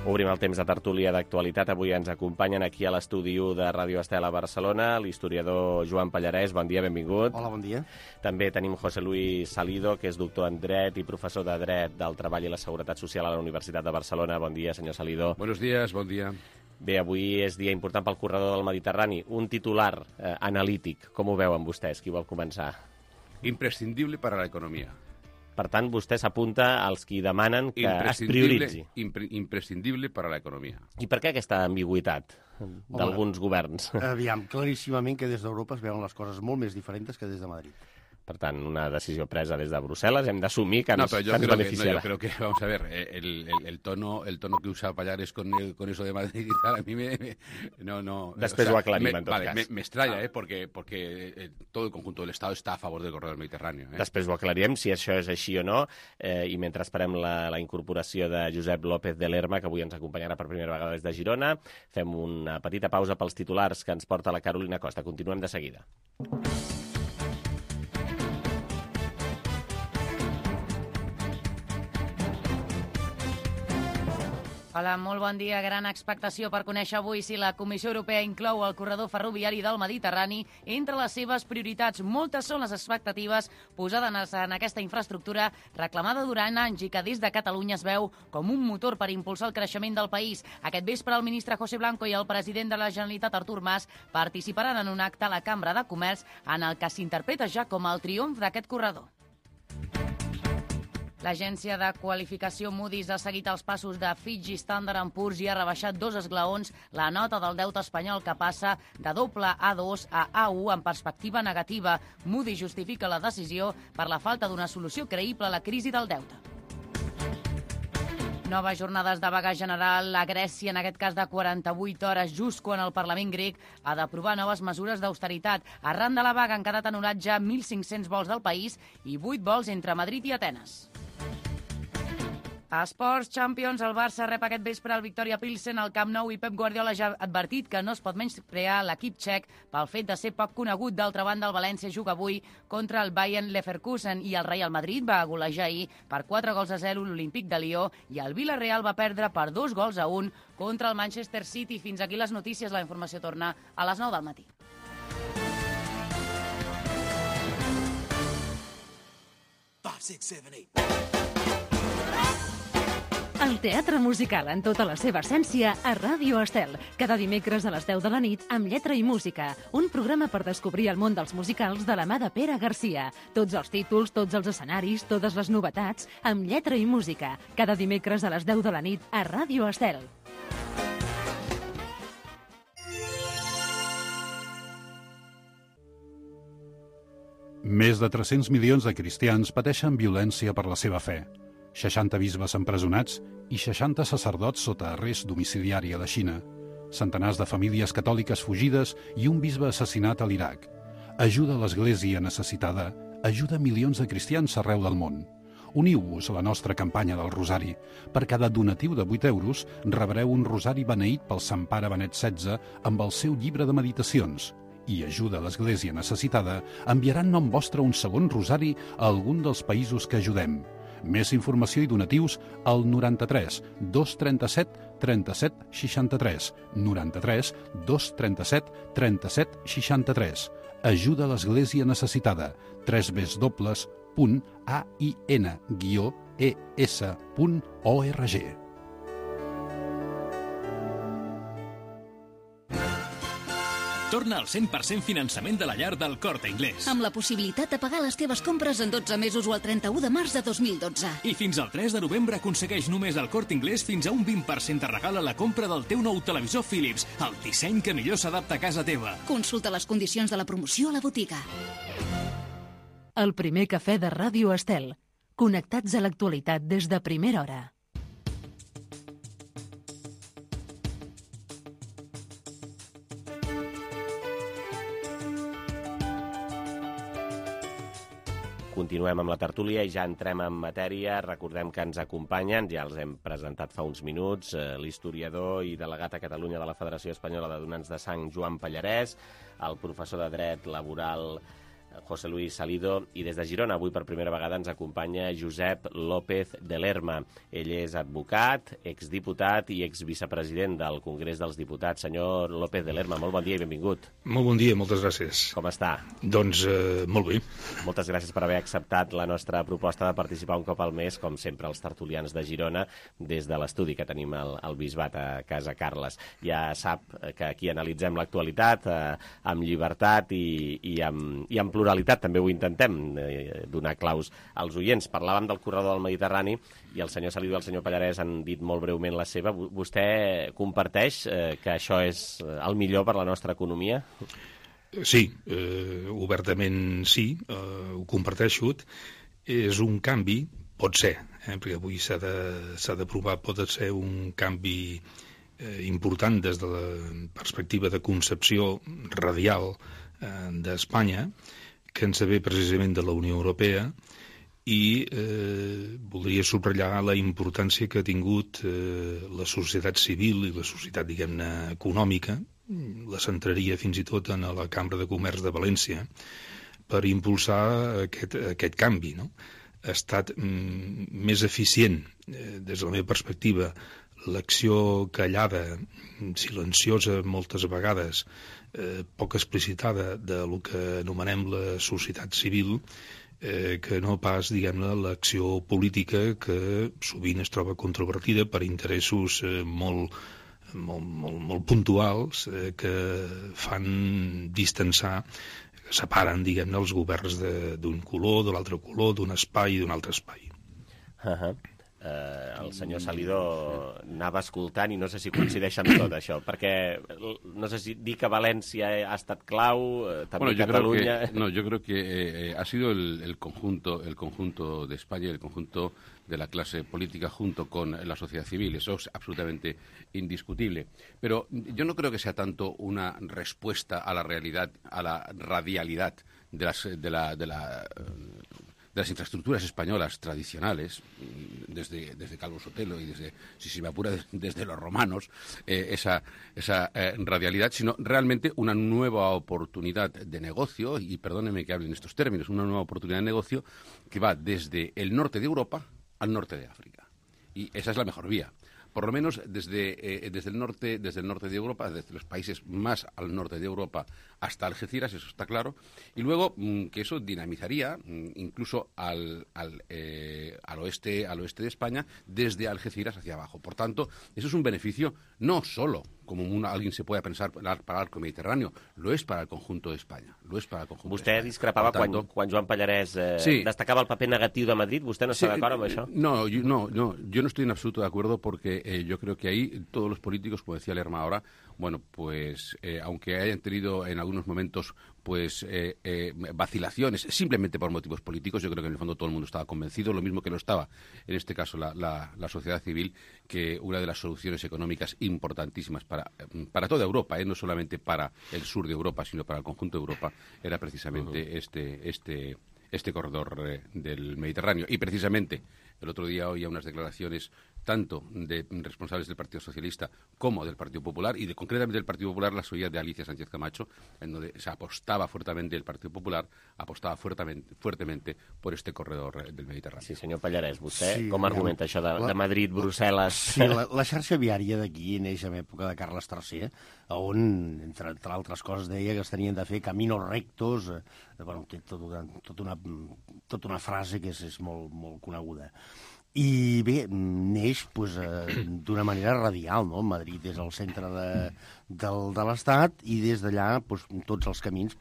Obrim el temps de tertúlia d'actualitat. Avui ens acompanyen aquí a l'estudi 1 de Ràdio Estel a Barcelona l'historiador Joan Pallarès. Bon dia, benvingut. Hola, bon dia. També tenim José Luis Salido, que és doctor en Dret i professor de Dret del Treball i la Seguretat Social a la Universitat de Barcelona. Bon dia, senyor Salido. Buenos días, bon dia. Bé, avui és dia important pel corredor del Mediterrani. Un titular analític. Com ho veuen vostès? Qui vol començar? Imprescindible para la economía. Per tant, vostè s'apunta als qui demanen que es prioritzi. Imprescindible para la economía. I per què aquesta ambigüitat d'alguns governs? Aviam, claríssimament que des d'Europa es veuen les coses molt més diferents que des de Madrid. Per tant, una decisió presa des de Brussel·les, hem d'assumir que ens beneficiarà. No, yo creo que, vamos a ver, el tono que usa Pallares con eso de Madrid y tal, a mí no... Després ho aclarim, en tot cas. Me extraña, porque todo el conjunto del Estado está a favor del corredor mediterráneo. Després ho aclarirem, si això és així o no, i mentre esperem la incorporació de Josep López de Lerma, que avui ens acompanyarà per primera vegada des de Girona, fem una petita pausa pels titulars que ens porta la Carolina Costa. Continuem de seguida. Hola, molt bon dia. Gran expectació per conèixer avui si la Comissió Europea inclou el corredor ferroviari del Mediterrani entre les seves prioritats. Moltes són les expectatives posades en aquesta infraestructura reclamada durant anys i que des de Catalunya es veu com un motor per impulsar el creixement del país. Aquest vespre el ministre José Blanco i el president de la Generalitat, Artur Mas, participaran en un acte a la Cambra de Comerç en el que s'interpreta ja com el triomf d'aquest corredor. L'agència de qualificació Moody's ha seguit els passos de Fitch i Standard & Poor's i ha rebaixat 2 esglaons la nota del deute espanyol, que passa de doble A2 a A1 en perspectiva negativa. Moody's justifica la decisió per la falta d'una solució creïble a la crisi del deute. Noves jornades de vaga general a Grècia, en aquest cas de 48 hores, just quan el Parlament grec ha d'aprovar noves mesures d'austeritat. Arran de la vaga han quedat anul·lats ja 1.500 vols del país i 8 vols entre Madrid i Atenes. A Sports Champions, el Barça rep aquest vespre el Victoria Pilsen al Camp Nou i Pep Guardiola ja ha advertit que no es pot menysprear l'equip txec pel fet de ser poc conegut. D'altra banda, el València juga avui contra el Bayern Leverkusen i el Real Madrid va golejar ahir per 4-0 l'Olímpic de Lió i el Villarreal va perdre per 2-1 contra el Manchester City. Fins aquí les notícies. La informació torna a les 9 del matí. El teatre musical en tota la seva essència a Ràdio Estel. Cada dimecres a les 10 de la nit amb Lletra i Música. Un programa per descobrir el món dels musicals de la mà de Pere Garcia. Tots els títols, tots els escenaris, totes les novetats amb Lletra i Música. Cada dimecres a les 10 de la nit a Ràdio Estel. Més de 300 milions de cristians pateixen violència per la seva fe. 60 bisbes empresonats i 60 sacerdots sota arrest domiciliari a la Xina. Centenars de famílies catòliques fugides i un bisbe assassinat a l'Iraq. Ajuda a l'Església necessitada, ajuda milions de cristians arreu del món. Uniu-vos a la nostra campanya del Rosari. Per cada donatiu de 8 euros rebreu un rosari beneït pel Sant Pare Benet XVI amb el seu llibre de meditacions. I ajuda a l'Església necessitada enviarà en nom vostre un segon rosari a algun dels països que ajudem. Més informació i donatius al 93 237 37 63. 93 237 37 63. Ajuda a l'Església necessitada. www.ain-es.org. Torna al 100% finançament de la llar del Corte Inglés. Amb la possibilitat de pagar les teves compres en 12 mesos o el 31 de març de 2012. I fins al 3 de novembre aconsegueix només al Corte Inglés fins a un 20% de regal a la compra del teu nou televisor Philips, el disseny que millor s'adapta a casa teva. Consulta les condicions de la promoció a la botiga. El primer cafè de Ràdio Estel. Connectats a l'actualitat des de primera hora. Continuem amb la tertúlia i ja entrem en matèria. Recordem que ens acompanyen, ja els hem presentat fa uns minuts, l'historiador i delegat a Catalunya de la Federació Espanyola de Donants de Sang, Joan Pallarès, el professor de Dret Laboral José Luis Salido, i des de Girona avui per primera vegada ens acompanya Josep López de Lerma. Ell és advocat, exdiputat i exvicepresident del Congrés dels Diputats. Senyor López de Lerma, molt bon dia i benvingut. Molt bon dia, moltes gràcies. Com està? Doncs molt bé. Moltes gràcies per haver acceptat la nostra proposta de participar un cop al mes, com sempre, els tertulians de Girona, des de l'estudi que tenim al Bisbat a Casa Carles. Ja sap que aquí analitzem l'actualitat amb llibertat i amb pluralitat. També ho intentem, donar claus als oients. Parlàvem del corredor del Mediterrani i el senyor Salido i el senyor Pallarès han dit molt breument la seva. Vostè comparteix que això és el millor per la nostra economia? Sí, obertament sí, ho comparteixo. És un canvi, pot ser, perquè avui s'ha de provar, pot ser un canvi important des de la perspectiva de concepció radial d'Espanya, que ens ve precisament de la Unió Europea, i voldria subratllar la importància que ha tingut la societat civil i la societat, diguem-ne, econòmica, la centraria fins i tot en la Cambra de Comerç de València, per impulsar aquest canvi, no? Ha estat més eficient, des de la meva perspectiva, l'acció callada, silenciosa moltes vegades, poc explicitada del que anomenem la societat civil, que no pas, diguem-ne, l'acció política que sovint es troba controvertida per interessos molt puntuals que fan distanciar, separen, diguem-ne, els governs d'un color, de l'altre color, d'un espai i d'un altre espai. El senyor Salido anava escoltant i no sé si coincideix amb tot això, perquè no sé si dir que València ha estat clau, també Catalunya... Yo creo que ha sido el conjunto de España y el conjunto de la clase política junto con la sociedad civil. Eso es absolutamente indiscutible. Pero yo no creo que sea tanto una respuesta a la realidad, a la radialidad de las infraestructuras españolas tradicionales, desde Calvo Sotelo y desde, si me apura, desde los romanos, esa radialidad, sino realmente una nueva oportunidad de negocio, y perdónenme que hable en estos términos, una nueva oportunidad de negocio que va desde el norte de Europa al norte de África. Y esa es la mejor vía. Por lo menos desde el norte de Europa, desde los países más al norte de Europa hasta Algeciras, eso está claro, y luego que eso dinamizaría incluso al oeste de España, desde Algeciras hacia abajo. Por tanto, eso es un beneficio no solo, como alguien se puede pensar, para el arco mediterráneo, lo es para el conjunto de España. Vostè discrepava quan Joan Pallarès destacava el paper negatiu de Madrid. ¿Vostè no està d'acord amb això? No, yo no estoy en absoluto de acuerdo, porque yo creo que ahí todos los políticos, como decía Lerma ahora, bueno, pues aunque hayan tenido en algunos momentos pues vacilaciones, simplemente por motivos políticos, yo creo que en el fondo todo el mundo estaba convencido, lo mismo que lo estaba, en este caso, la sociedad civil, que una de las soluciones económicas importantísimas para toda Europa, no solamente para el sur de Europa, sino para el conjunto de Europa, era precisamente este corredor del Mediterráneo. Y precisamente el otro día oía unas declaraciones tanto de responsables del Partido Socialista como del Partido Popular, y concretamente del Partido Popular las oía de Alicia Sánchez Camacho, en donde se apostaba fuertemente, el Partido Popular apostava fuertemente por este corredor del Mediterrani. Sí, senyor Pallarès, vostè com argumenta això de Madrid, Brussel·les? Sí, la xarxa viària d'aquí neix en època de Carles III, on, entre altres coses, deia que es tenien de fer caminos rectos, bueno, té tota una frase que és molt coneguda. I bé, neix d'una manera radial, no? Madrid és el centre de l'Estat, i des d'allà tots els camins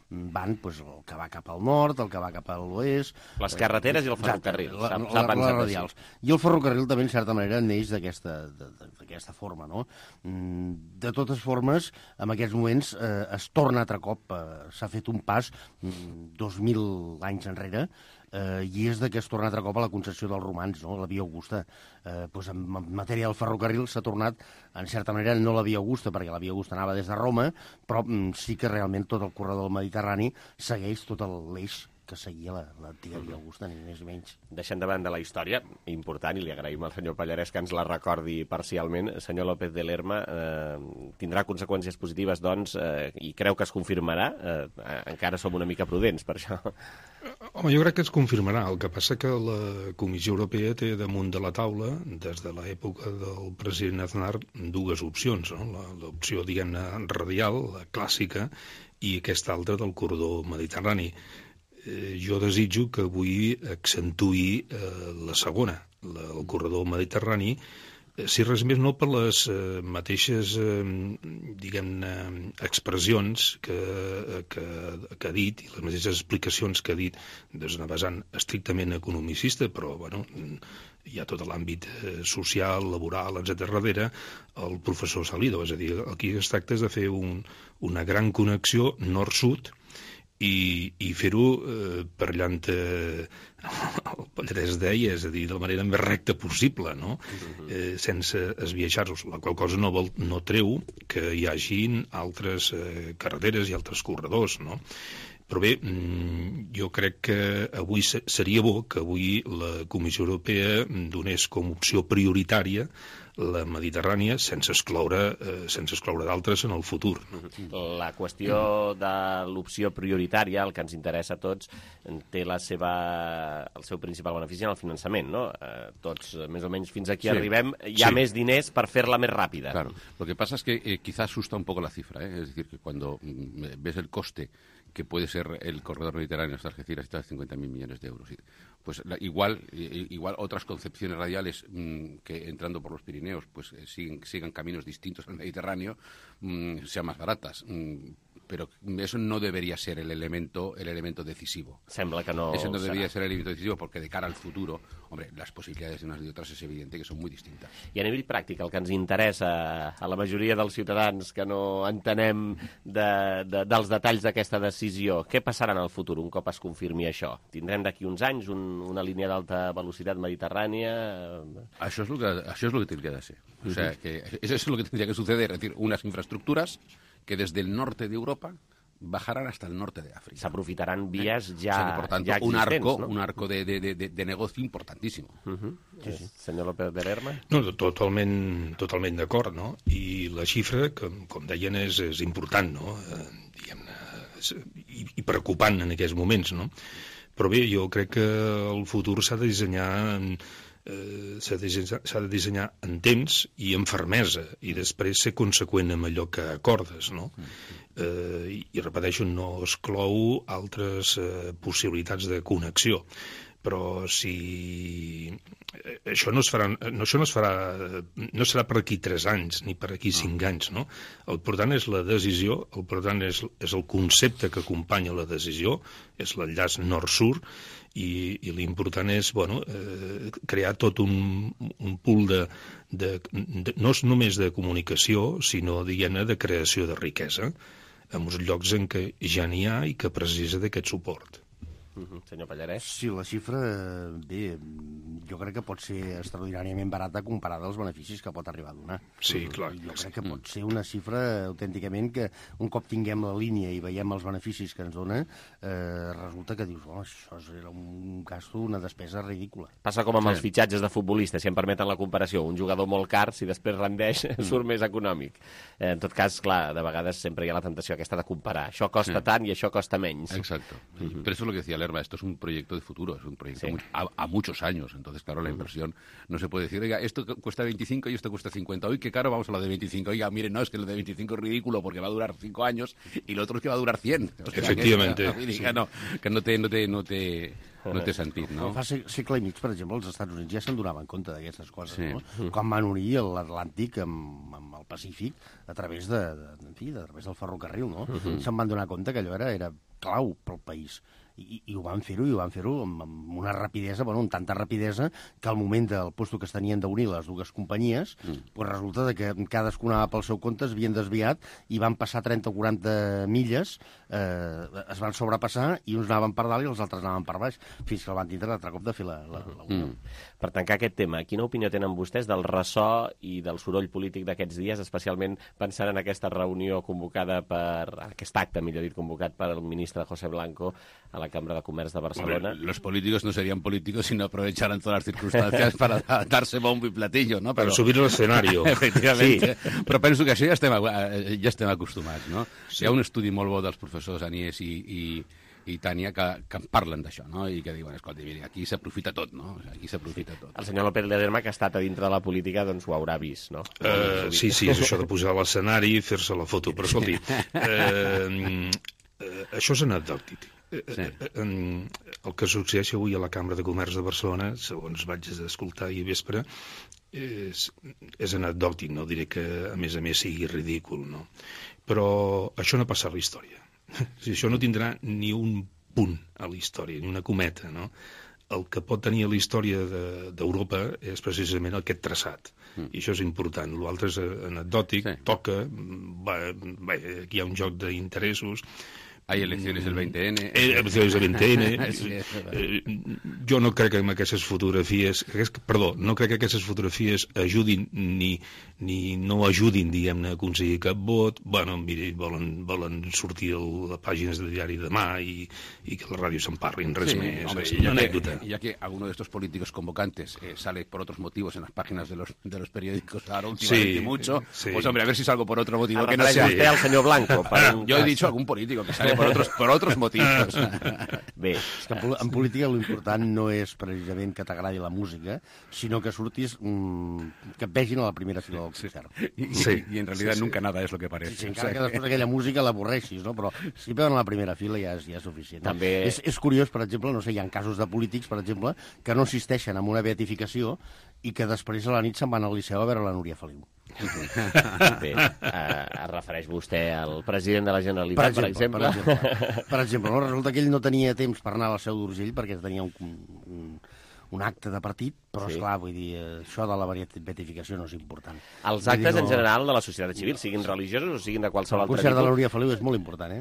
van el que va cap al nord, el que va cap a l'oest... Les carreteres i el ferrocarril. Les radials. I el ferrocarril també, en certa manera, neix d'aquesta forma, no? De totes formes, en aquests moments es torna altre cop, s'ha fet un pas 2.000 anys enrere, i és que es torna altre cop a la concessió dels romans, no? La via Augusta. En matèria del ferrocarril s'ha tornat, en certa manera, no la via Augusta, perquè la via Augusta anava des de Roma, però sí que realment tot el corredor del Mediterrani segueix tot l'eix que seguia l'antiga Via Augusta, ni més ni menys. Deixant de banda la història, important, i li agraïm al senyor Pallarès que ens la recordi parcialment, senyor López de Lerma, tindrà conseqüències positives, doncs, i creu que es confirmarà? Encara som una mica prudents, per això. Home, jo crec que es confirmarà. El que passa que la Comissió Europea té damunt de la taula, des de l'època del president Aznar, dues opcions, no? L'opció, diguem-ne, radial, la clàssica, i aquesta altra del corredor mediterrani. Jo desitjo que avui accentuï la segona, el corredor mediterrani, si res més no per les mateixes, diguem-ne, expressions que ha dit, i les mateixes explicacions que ha dit des d'una vessant estrictament economicista, però, bueno, hi ha tot l'àmbit social, laboral, etc. darrere, el professor Salido. És a dir, aquí es tracta de fer una gran connexió nord-sud i fer-ho per llant el Pallarès deia, és a dir, de la manera més recta possible, no? Sense esbiaixar-los, la qual cosa no treu que hi hagin altres carreteres i altres corredors, no? Però bé, jo crec que avui seria bo que avui la Comissió Europea donés com opció prioritària la Mediterrània sense excloure d'altres en el futur. La qüestió de l'opció prioritària, el que ens interessa a tots, té el seu principal benefici en el finançament, ¿no? Tots, més o menys, fins aquí arribem, hi ha més diners per fer-la més ràpida. Claro, lo que pasa es que quizá asusta un poco la cifra, es decir, que cuando ves el coste que puede ser el corredor mediterráneo hasta Algeciras, está de 50.000 millones de euros. Pues igual otras concepciones radiales que entrando por los Pirineos pues sigan caminos distintos al Mediterráneo, sean más baratas. Pero eso no debería ser el elemento decisivo. Sembla que no. Eso no debería ser el elemento decisivo porque de cara al futuro, hombre, las posibilidades de unas y otras es evidente que son muy distintas. I a nivell pràctic, el que ens interessa a la majoria dels ciutadans que no entenem dels detalls d'aquesta decisió, què passarà en el futur un cop es confirmi això? Tindrem d'aquí uns anys una línia d'alta velocitat mediterrània? Això es lo que tendría de ser. O sea, que eso es lo que tendría que suceder, es decir, unas infraestructuras que desde el norte de Europa bajarán hasta el norte de África. Se aprofitarán vías ya, o sea que, por tanto, ya existents, un arco de negocio importantísimo. Senyor López de Lerma? No, totalment d'acord, no? I la xifra, com deien, és important, no? Diguem-ne, i preocupant en aquests moments, no? Però bé, jo crec que el futur s'ha de dissenyar en temps i amb fermesa, i després ser conseqüent amb allò que acordes, no? I repeteixo, no exclou altres possibilitats de connexió, però si això no serà per aquí 3 anys ni per aquí 5 anys, no? El important és la decisió, el important és el concepte que acompanya la decisió, és l'enllaç nord-sud, i l'important és crear tot un pool no només de comunicació, sinó, diguem-ne, de creació de riquesa en els llocs en què ja n'hi ha i que precisa d'aquest suport. Senyor Pallarès? Sí, la xifra, bé, jo crec que pot ser extraordinàriament barata comparada als beneficis que pot arribar a donar. Sí, clar. Jo crec que pot ser una xifra autènticament que un cop tinguem la línia i veiem els beneficis que ens dona, resulta que dius, això era un gasto, una despesa ridícula. Passa com amb els fitxatges de futbolistes, si em permeten la comparació. Un jugador molt car, si després rendeix, surt més econòmic. En tot cas, clar, de vegades sempre hi ha la tentació aquesta de comparar. Això costa tant i això costa menys. Exacto. Pero eso es lo que decía Lerma, esto es un proyecto de futuro, es un proyecto a muchos años. Entonces, claro, la inversión no se puede decir, oiga, esto cuesta 25 y esto cuesta 50. Hoy, qué caro, vamos a lo de 25. Oiga, miren, no, es que lo de 25 es ridículo porque va a durar 5 años y lo otro es que va a durar 100. O sea, efectivamente. Que no té sentit, no? Fa segle i mig, per exemple, els Estats Units ja se'n donaven compte d'aquestes coses, no? Quan van unir l'Atlàntic amb el Pacífic a través del ferrocarril, no? Se'n van donar compte que allò era clau pel país. I ho van fer-ho amb una rapidesa, amb tanta rapidesa que al moment del lloc que es tenien d'unir les dues companyies, resulta que cadascú anava pel seu compte, es havien desviat i van passar 30 o 40 milles, es van sobrepassar i uns anaven per dalt i els altres anaven per baix, fins que el van tindre l'altre cop de fer la unió. Per tancar aquest tema, quina opinió tenen vostès del ressò i del soroll polític d'aquests dies, especialment pensant en aquesta reunió convocada aquest acte, millor dit, convocat per el ministre ministre José Blanco a la Cambra de Comerç de Barcelona. Hombre, los políticos no serían políticos si no aprovecharan todas las circunstancias para darse bombo y platillo, no? Per subir a l'escenari. Efectivament. Sí. Però penso que això ja estem acostumats, no? Sí. Hi ha un estudi molt bo dels professors Anies i Tània que parlen d'això, no? I que diuen, escolta, mira, aquí s'aprofita tot, no? Aquí s'aprofita tot. El senyor López Ledesma, que ha estat a dintre de la política, doncs ho haurà vist, no? Sí, és això de posar a l'escenari i fer-se la foto. Però, escolti, això és anecdòtic. Sí. El que succeeix avui a la Cambra de Comerç de Barcelona, segons vaig escoltar ahir vespre, és anecdòtic, no diré que a més sigui ridícul, no? Però això no ha passat a la història. Això no tindrà ni un punt a la història, ni una cometa, no? El que pot tenir a la història d'Europa és precisament aquest traçat, i això és important. L'altre és anecdòtic, toca, aquí hi ha un joc d'interessos. Hay elecciones el 20N. Elecciones el 20N. Jo no crec que aquestes fotografies... no crec que aquestes fotografies ajudin ni no ajudin, diguem-ne, a aconseguir cap vot. Bueno, mira, volen sortir a les pàgines de diari demà i que la ràdio se'n parlin, res més. Hombre, es una anécdota. Ya que alguno de estos políticos convocantes sale por otros motivos en las páginas de los periódicos ahora últimamente mucho, pues hombre, a ver si salgo por otro motivo que no sea... Usted al senyor Blanco. Yo he dicho algún político que sale por otros motivos. Bé, és que en política l'important no és precisament que t'agradi la música, sinó que surtis, que et vegin a la primera fila del concert. Y en realidad nunca nada es lo que parece. Sí, encara que després aquella música l'avorreixis, no? Però si veuen a la primera fila ja és suficient. No? També... És curiós, per exemple, no sé, hi ha casos de polítics, per exemple, que no assisteixen a una beatificació i que després a la nit se'n van al Liceu a veure la Núria Feliu. Bé, es refereix vostè al president de la Generalitat, per exemple? Per exemple, no? Resulta que ell no tenia temps per anar a la Seu d'Urgell perquè tenia un acte de partit, però esclar, vull dir, això de la beatificació no és important. Els actes en general de la societat civil, siguin religiosos o siguin de qualsevol altre tipus... El concert de la Núria Feliu és molt important,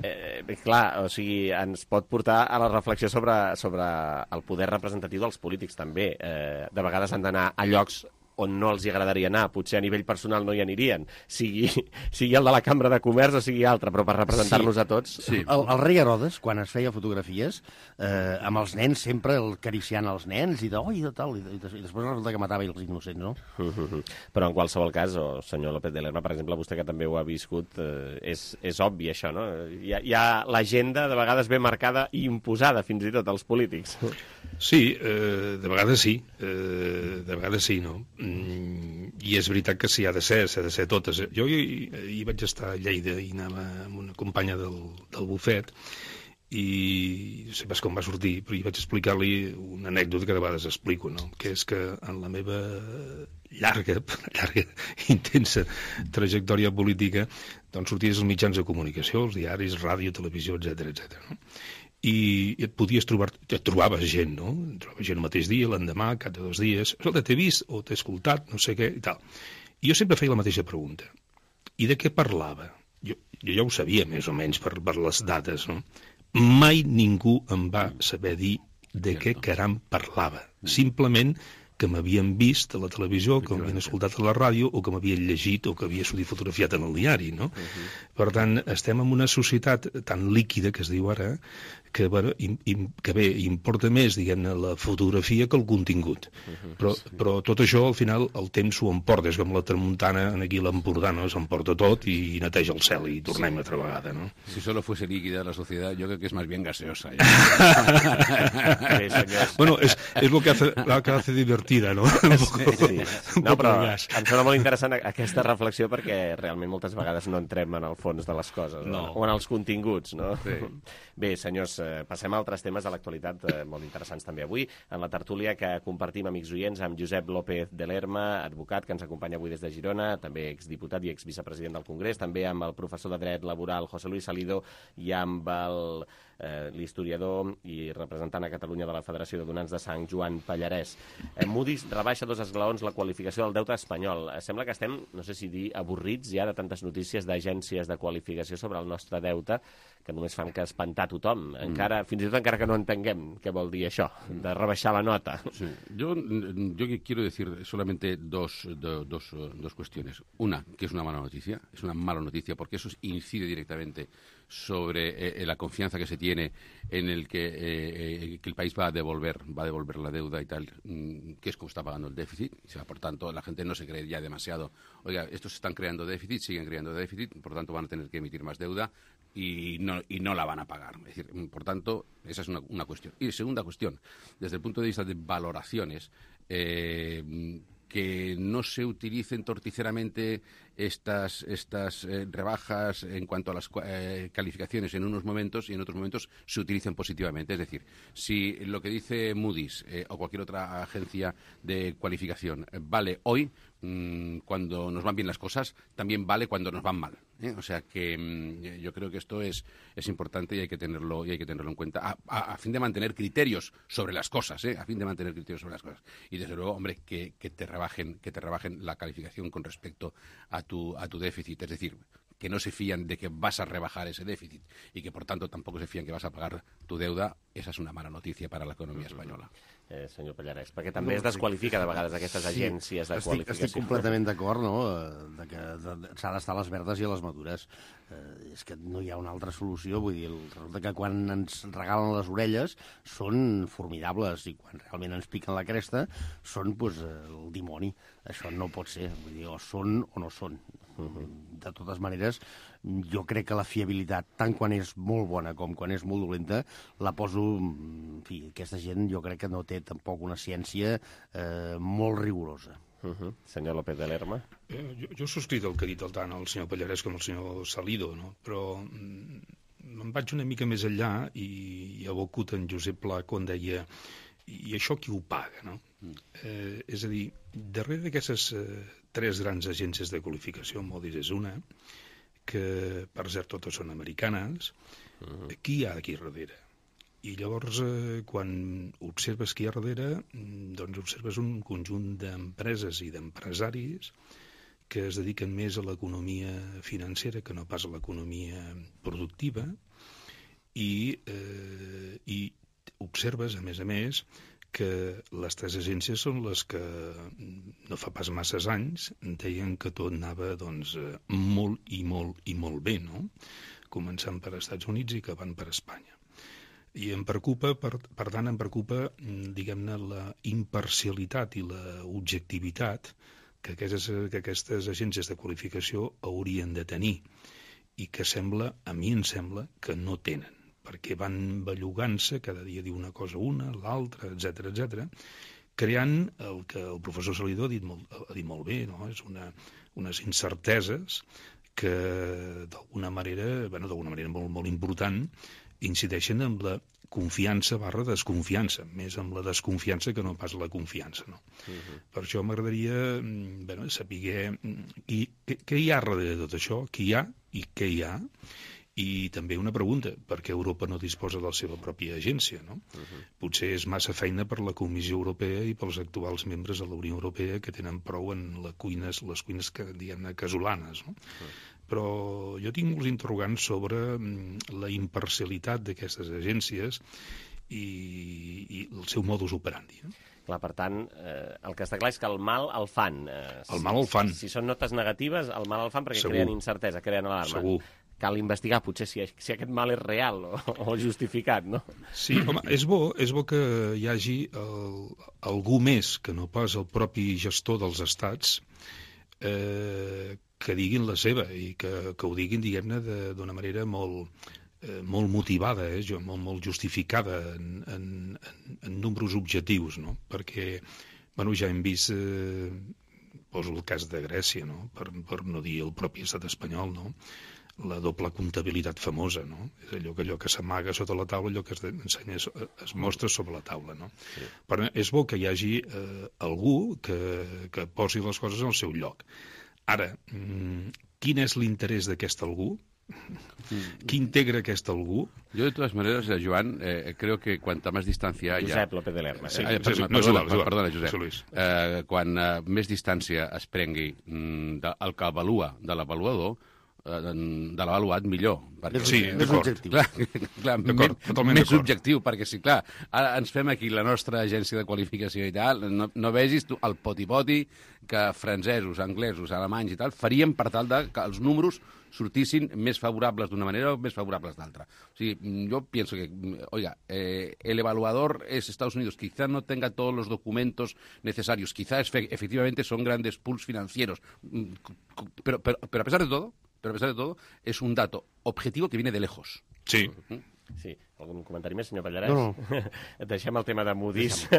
Clar, o sigui, ens pot portar a la reflexió sobre el poder representatiu dels polítics, també. De vegades han d'anar a llocs on no els agradaria anar, potser a nivell personal no hi anirien, sigui el de la Cambra de Comerç o sigui altre, però per representar-nos a tots... Sí. El rei Herodes, quan es feia fotografies, amb els nens sempre acariciant els nens i tal, i després resulta que matava els innocents, no? Però en qualsevol cas, senyor López de Lerma, per exemple, vostè que també ho ha viscut, és obvi això, no? Hi ha l'agenda de vegades ben marcada i imposada fins i tot als polítics. Sí, de vegades sí, no? I és veritat que s'ha de ser totes. Jo hi vaig estar a Lleida i anava amb una companya del bufet i no sé pas com va sortir, però hi vaig explicar-li una anècdota que de vegades explico, no? Que és que en la meva llarga, intensa trajectòria política, doncs sorties als mitjans de comunicació, els diaris, ràdio, televisió, etc. No? I et trobaves gent, no? Et trobaves gent el mateix dia, l'endemà, cada 2 dies. Escolta, t'he vist o t'he escoltat, no sé què, i tal. I jo sempre feia la mateixa pregunta. I de què parlava? Jo ja ho sabia, més o menys, per les dates, no? Mai ningú em va saber dir de què caram parlava. Simplement que m'havien vist a la televisió, que m'havien escoltat a la ràdio, o que m'havien llegit, o que havia sortit fotografiat en el diari, no? Per tant, estem en una societat tan líquida, que es diu ara, que bé, importa més, diguem-ne, la fotografia que el contingut. Però tot això, al final, el temps ho emporta. És com la tramuntana aquí a l'Empordà, no? S'emporta tot i neteja el cel i tornem altra vegada, no? Si solo fuese líquida la sociedad, yo creo que es más bien gaseosa. Bueno, es lo que hace divertida, no? Sí. No, però em sembla molt interessant aquesta reflexió perquè realment moltes vegades no entrem en el fons de les coses, o en els continguts, no? Bé, senyors, passem a altres temes de l'actualitat molt interessants també avui, en la tertúlia que compartim, amics oients, amb Josep López de Lerma, advocat, que ens acompanya avui des de Girona, també exdiputat i exvicepresident del Congrés, també amb el professor de Dret Laboral José Luis Salido i amb l'historiador i representant a Catalunya de la Federació de Donants de Sang, Joan Pallarès. Moody's rebaixa 2 esglaons la qualificació del deute espanyol. Sembla que estem, no sé si dir, avorrits ja de tantes notícies d'agències de qualificació sobre el nostre deute que només fan que espantar tothom. Fins i tot encara que no entenguem què vol dir això, de rebaixar la nota. Sí. Yo quiero decir solamente dos cuestiones. Una, que es una mala noticia porque eso incide directamente la confianza que se tiene en el que el país va a devolver la deuda y tal, que es como está pagando el déficit. O sea, por tanto, la gente no se cree ya demasiado. Oiga, estos están creando déficit, siguen creando déficit, por tanto van a tener que emitir más deuda y no la van a pagar. Es decir, por tanto, esa es una cuestión. Y segunda cuestión, desde el punto de vista de valoraciones, que no se utilicen torticeramente estas rebajas en cuanto a las calificaciones en unos momentos y en otros momentos se utilicen positivamente. Es decir, si lo que dice Moody's o cualquier otra agencia de cualificación vale hoy, cuando nos van bien las cosas, también vale cuando nos van mal. O sea que yo creo que esto es importante y hay que tenerlo en cuenta a fin de mantener criterios sobre las cosas, a fin de mantener criterios sobre las cosas. Y desde luego, hombre, que te rebajen la calificación con respecto a tu déficit, es decir, que no se fían de que vas a rebajar ese déficit y que por tanto tampoco se fían que vas a pagar tu deuda, esa és una mala notícia per a l'economia espanyola. Senyor Pallarès, perquè també es desqualifica de vegades aquestes agències de qualificació. Estic completament d'acord, no?, de que s'ha d'estar a les verdes i a les madures. És que no hi ha una altra solució, vull dir, resulta que quan ens regalen les orelles són formidables i quan realment ens piquen la cresta són, doncs, el dimoni. Això no pot ser, vull dir, o són o no són. De totes maneres, jo crec que la fiabilitat, tant quan és molt bona com quan és molt dolenta, la poso... En fi, aquesta gent jo crec que no té tampoc una ciència molt rigorosa. Senyor López de Lerma. Jo subscric el que ha dit tant el senyor Pallarès com el senyor Salido, no? Però me'n vaig una mica més enllà i aboco en Josep Pla quan deia i això qui ho paga, no? És a dir, darrere d'aquestes tres grans agències de qualificació, Moody's és una, que per cert totes són americanes, qui hi ha aquí darrere? I llavors, quan observes qui hi ha darrere, doncs observes un conjunt d'empreses i d'empresaris que es dediquen més a l'economia financera que no pas a l'economia productiva i observes, a més, que les tres agències són les que no fa pas masses anys deien que tot anava doncs, molt i molt bé, no? Començant per Estats Units i acabant per Espanya. I em preocupa, per tant, diguem-ne, la imparcialitat i la objectivitat que aquestes agències de qualificació haurien de tenir i que a mi em sembla que no tenen, perquè van bellugant-se, cada dia diu una cosa una, l'altra, etc, creant el que el professor Salidó ha dit molt bé, no? És unes incerteses que d'alguna manera molt important, incideixen en la confiança / desconfiança, més amb la desconfiança que no pas la confiança, no? Per això m'agradaria saber què hi ha darrere de tot això, qui hi ha i què hi ha. I també una pregunta, per què Europa no disposa de la seva pròpia agència, no? Potser és massa feina per la Comissió Europea i pels actuals membres de la Unió Europea que tenen prou en les cuines diguem-ne, casolanes, no? Però jo tinc molts interrogants sobre la imparcialitat d'aquestes agències i el seu modus operandi, no? Clar, per tant, el que està clar és que el mal el fan. El mal el fan. Si són notes negatives, el mal el fan perquè creen incertesa, creen alarma. Segur. Cal investigar, potser, si aquest mal és real o justificat, no? Sí, home, és bo que hi hagi algú més que no pas el propi gestor dels estats que diguin la seva i que ho diguin, diguem-ne, d'una manera molt motivada, molt justificada en nombres objectius, no? Perquè, ja hem vist, poso el cas de Grècia, no? Per no dir el propi estat espanyol, no? La doble comptabilitat famosa, no? És allò que s'amaga sota la taula, allò que es mostra sobre la taula, no? Sí. Però és bo que hi hagi algú que posi les coses al seu lloc. Ara, quin és l'interès d'aquest algú? Qui integra aquest algú? Yo, de todas maneras, Joan, creo que cuanta más distancia haya... Josep López de Lerma. Perdona, Josep. Quan més distància es prengui el que avalua de l'avaluador, de l'avaluat, millor. Sí, més objectiu. Clar, totalment més objectiu, perquè sí, clar, ara ens fem aquí la nostra agència de qualificació i tal, no vegis tu el poti-poti que francesos, anglesos, alemanys i tal farien per tal de que els números sortissin més favorables d'una manera o més favorables d'altra. O sigui, yo pienso que, oiga, el evaluador es Estados Unidos, quizá no tenga todos los documentos necesarios, quizá efectivamente son grandes pools financieros, pero a pesar de todo, es un dato objetivo que viene de lejos. Sí. Sí, algun comentari més, senyor Pallarès? No. Deixem el tema de Moody's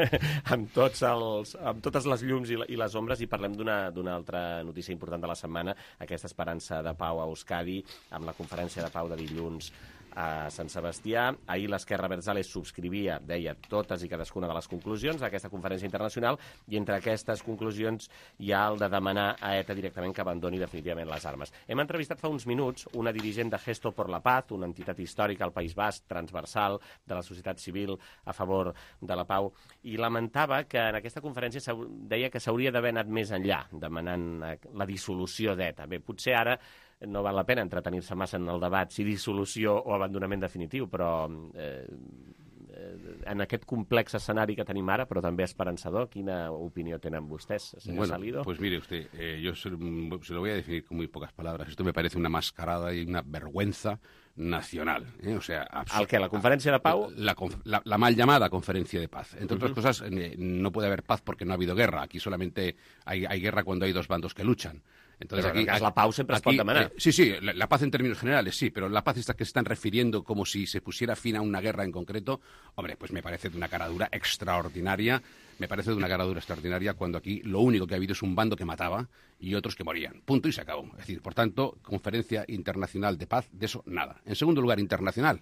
amb totes les llums i les ombres i parlem d'una altra notícia important de la setmana, aquesta esperança de pau a Euskadi, amb la conferència de pau de dilluns a Sant Sebastià. Ahir l'Esquerra Abertzale subscrivia, deia, totes i cadascuna de les conclusions d'aquesta conferència internacional, i entre aquestes conclusions hi ha el de demanar a ETA directament que abandoni definitivament les armes. Hem entrevistat fa uns minuts una dirigent de Gesto por la Paz, una entitat històrica al País Basc, transversal, de la societat civil a favor de la pau, i lamentava que en aquesta conferència deia que s'hauria d'haver anat més enllà, demanant la dissolució d'ETA. Bé, potser ara no val la pena entretenir-se massa en el debat si dissolució o abandonament definitiu, però en aquest complex escenari que tenim ara, però també esperançador, quina opinió tenen vostès, senyor Salido? Pues mire usted, yo se lo voy a definir con muy pocas palabras. Esto me parece una mascarada y una vergüenza nacional. O sea, ¿Al qué? ¿La conferencia de pau? La mal llamada conferencia de paz. Entre otras cosas, no puede haber paz porque no ha habido guerra. Aquí solamente hay guerra cuando hay dos bandos que luchan. Entonces, pero aquí, la pau sempre es pot demanar. Sí, la paz en términos generales, sí, pero la paz esta que se están refiriendo como si se pusiera fin a una guerra en concreto, hombre, pues me parece de una caradura extraordinaria. Me parece de una caradura extraordinaria cuando aquí lo único que ha habido es un bando que mataba y otros que morían. Punto y se acabó. Es decir, por tanto, conferencia internacional de paz, de eso nada. En segundo lugar, internacional.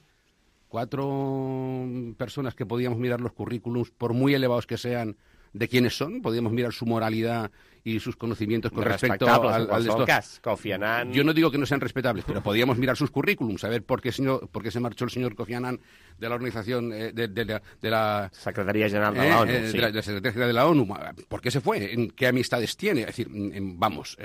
4 personas que podíamos mirar los currículums, por muy elevados que sean, de quiénes son, podíamos mirar su moralidad y sus conocimientos con respecto al cas. Kofi Annan. Yo no digo que no sean respetables, pero podíamos mirar sus currículums, saber por qué se marchó el señor Kofi Annan de la organización de la Secretaría General de la ONU. De la Secretaría de la ONU. ¿Por qué se fue? ¿En qué amistades tiene? Es decir, vamos,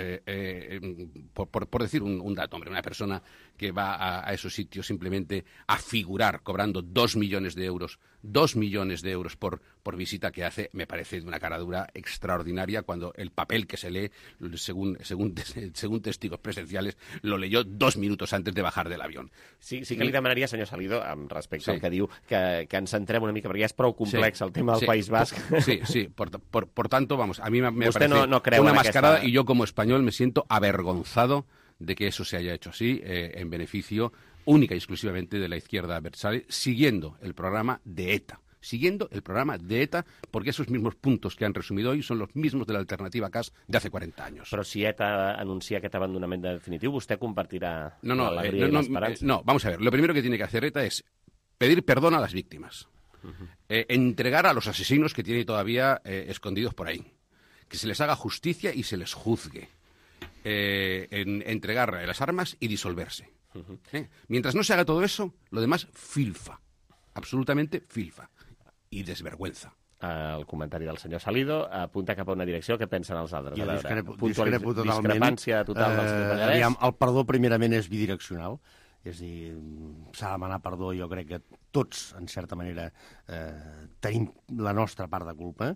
por decir un dato, hombre, una persona que va a esos sitios simplemente a figurar cobrando 2 millones de euros, 2 millones de euros por visita que hace, me parece de una caradura extraordinaria cuando el papel que se lee, según testigos presenciales, lo leyó 2 minutos antes de bajar del avión. Sí que li demanaria, senyor Salido, amb respecte al que diu, que ens centrem una mica, perquè ja és prou complex el tema del País Basc. Sí, por tanto, vamos, a mí me parece no una mascarada y yo como español me siento avergonzado de que eso se haya hecho así, en beneficio única y exclusivamente de la izquierda Abertzale, siguiendo el programa de ETA. Porque esos mismos puntos que han resumido hoy son los mismos de la alternativa CAS de hace 40 años. Però si ETA anuncia aquest abandonament definitiu, vostè compartirà l'alegria i l'esperança? No, vamos a ver. Lo primero que tiene que hacer ETA es pedir perdón a las víctimas, entregar a los asesinos que tiene todavía escondidos por ahí, que se les haga justicia y se les juzgue, entregar las armas y disolverse. Mientras no se haga todo eso, lo demás filfa, absolutamente filfa. I desvergüenza. El comentari del senyor Salido apunta cap a una direcció. Què pensen els altres? Jo discrepo totalment. Discrepància total del senyor Pallarès. El perdó, primerament, és bidireccional. És a dir, s'ha de demanar perdó. Jo crec que tots, en certa manera, tenim la nostra part de culpa.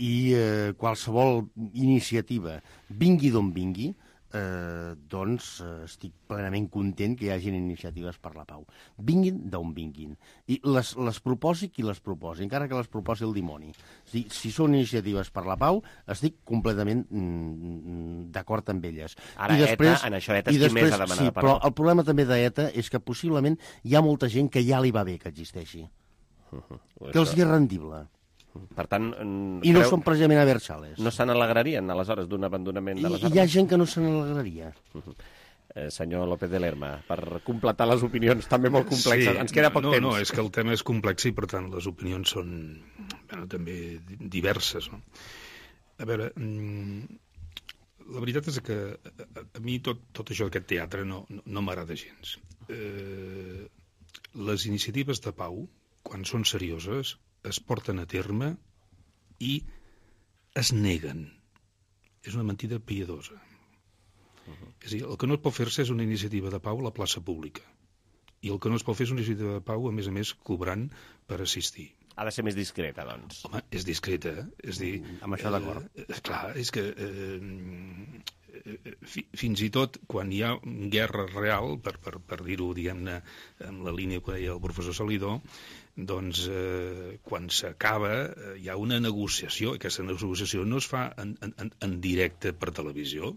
I qualsevol iniciativa, vingui d'on vingui, doncs estic plenament content que hi hagin iniciatives per la pau. Vinguin d'on vinguin. I les proposi qui les proposi, encara que les proposi el dimoni. Si són iniciatives per la pau, estic completament d'acord amb elles. Ara ETA, en això ETA és qui més ha demanat perdó. Però el problema també d'ETA és que possiblement hi ha molta gent que ja li va bé que existeixi. Que els hi és rendible. Per tant, I no són precisament Abertzales. No se n'alegrarien, aleshores, d'un abandonament de les armes? Hi ha gent que no se n'alegraria. Senyor López de Lerma, per completar les opinions també molt complexes. Ens queda poc temps. No, és que el tema és complex i, per tant, les opinions són també diverses. No? A veure, la veritat és que a mi tot això d'aquest teatre no m'agrada gens. Les iniciatives de pau, quan són serioses, es porten a terme i es neguen. És una mentida piadosa. És a dir, el que no es pot fer-se és una iniciativa de pau a la plaça pública. I el que no es pot fer és una iniciativa de pau, a més, cobrant per assistir. Ha de ser més discreta, doncs. Home, és discreta, és dir... Amb això d'acord. Clar, és que fins i tot quan hi ha guerra real, per dir-ho, diguem-ne, en la línia que deia el professor Salidó, doncs quan s'acaba hi ha una negociació, i aquesta negociació no es fa en directe per televisió,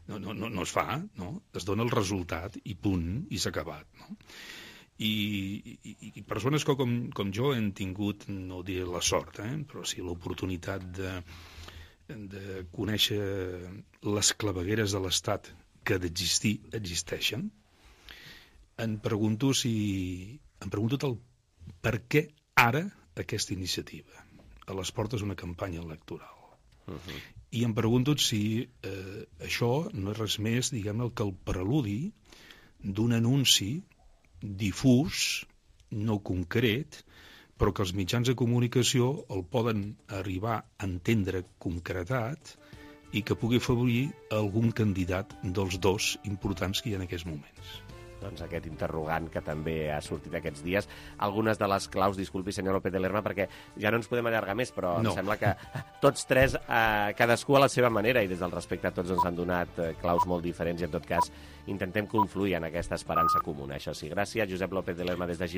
no es fa, no? Es dona el resultat i punt, i s'ha acabat, no? I persones com jo hem tingut, no diré la sort, però sí l'oportunitat de conèixer les clavegueres de l'Estat que d'existir existeixen. Em pregunto el per què ara aquesta iniciativa a les portes d'una campanya electoral. I em pregunto si això no és res més, diguem-ne, que el preludi d'un anunci difús, no concret, però que els mitjans de comunicació el poden arribar a entendre concretat i que pugui afavorir algun candidat dels dos importants que hi ha en aquests moments. Doncs aquest interrogant que també ha sortit aquests dies. Algunes de les claus, disculpi, senyor López de Lerma, perquè ja no ens podem allargar més, però em sembla que tots tres, cadascú a la seva manera, i des del respecte a tots ens han donat claus molt diferents, i en tot cas intentem confluir en aquesta esperança comuna. Això sí, gràcies, Josep López de Lerma, des de Girona.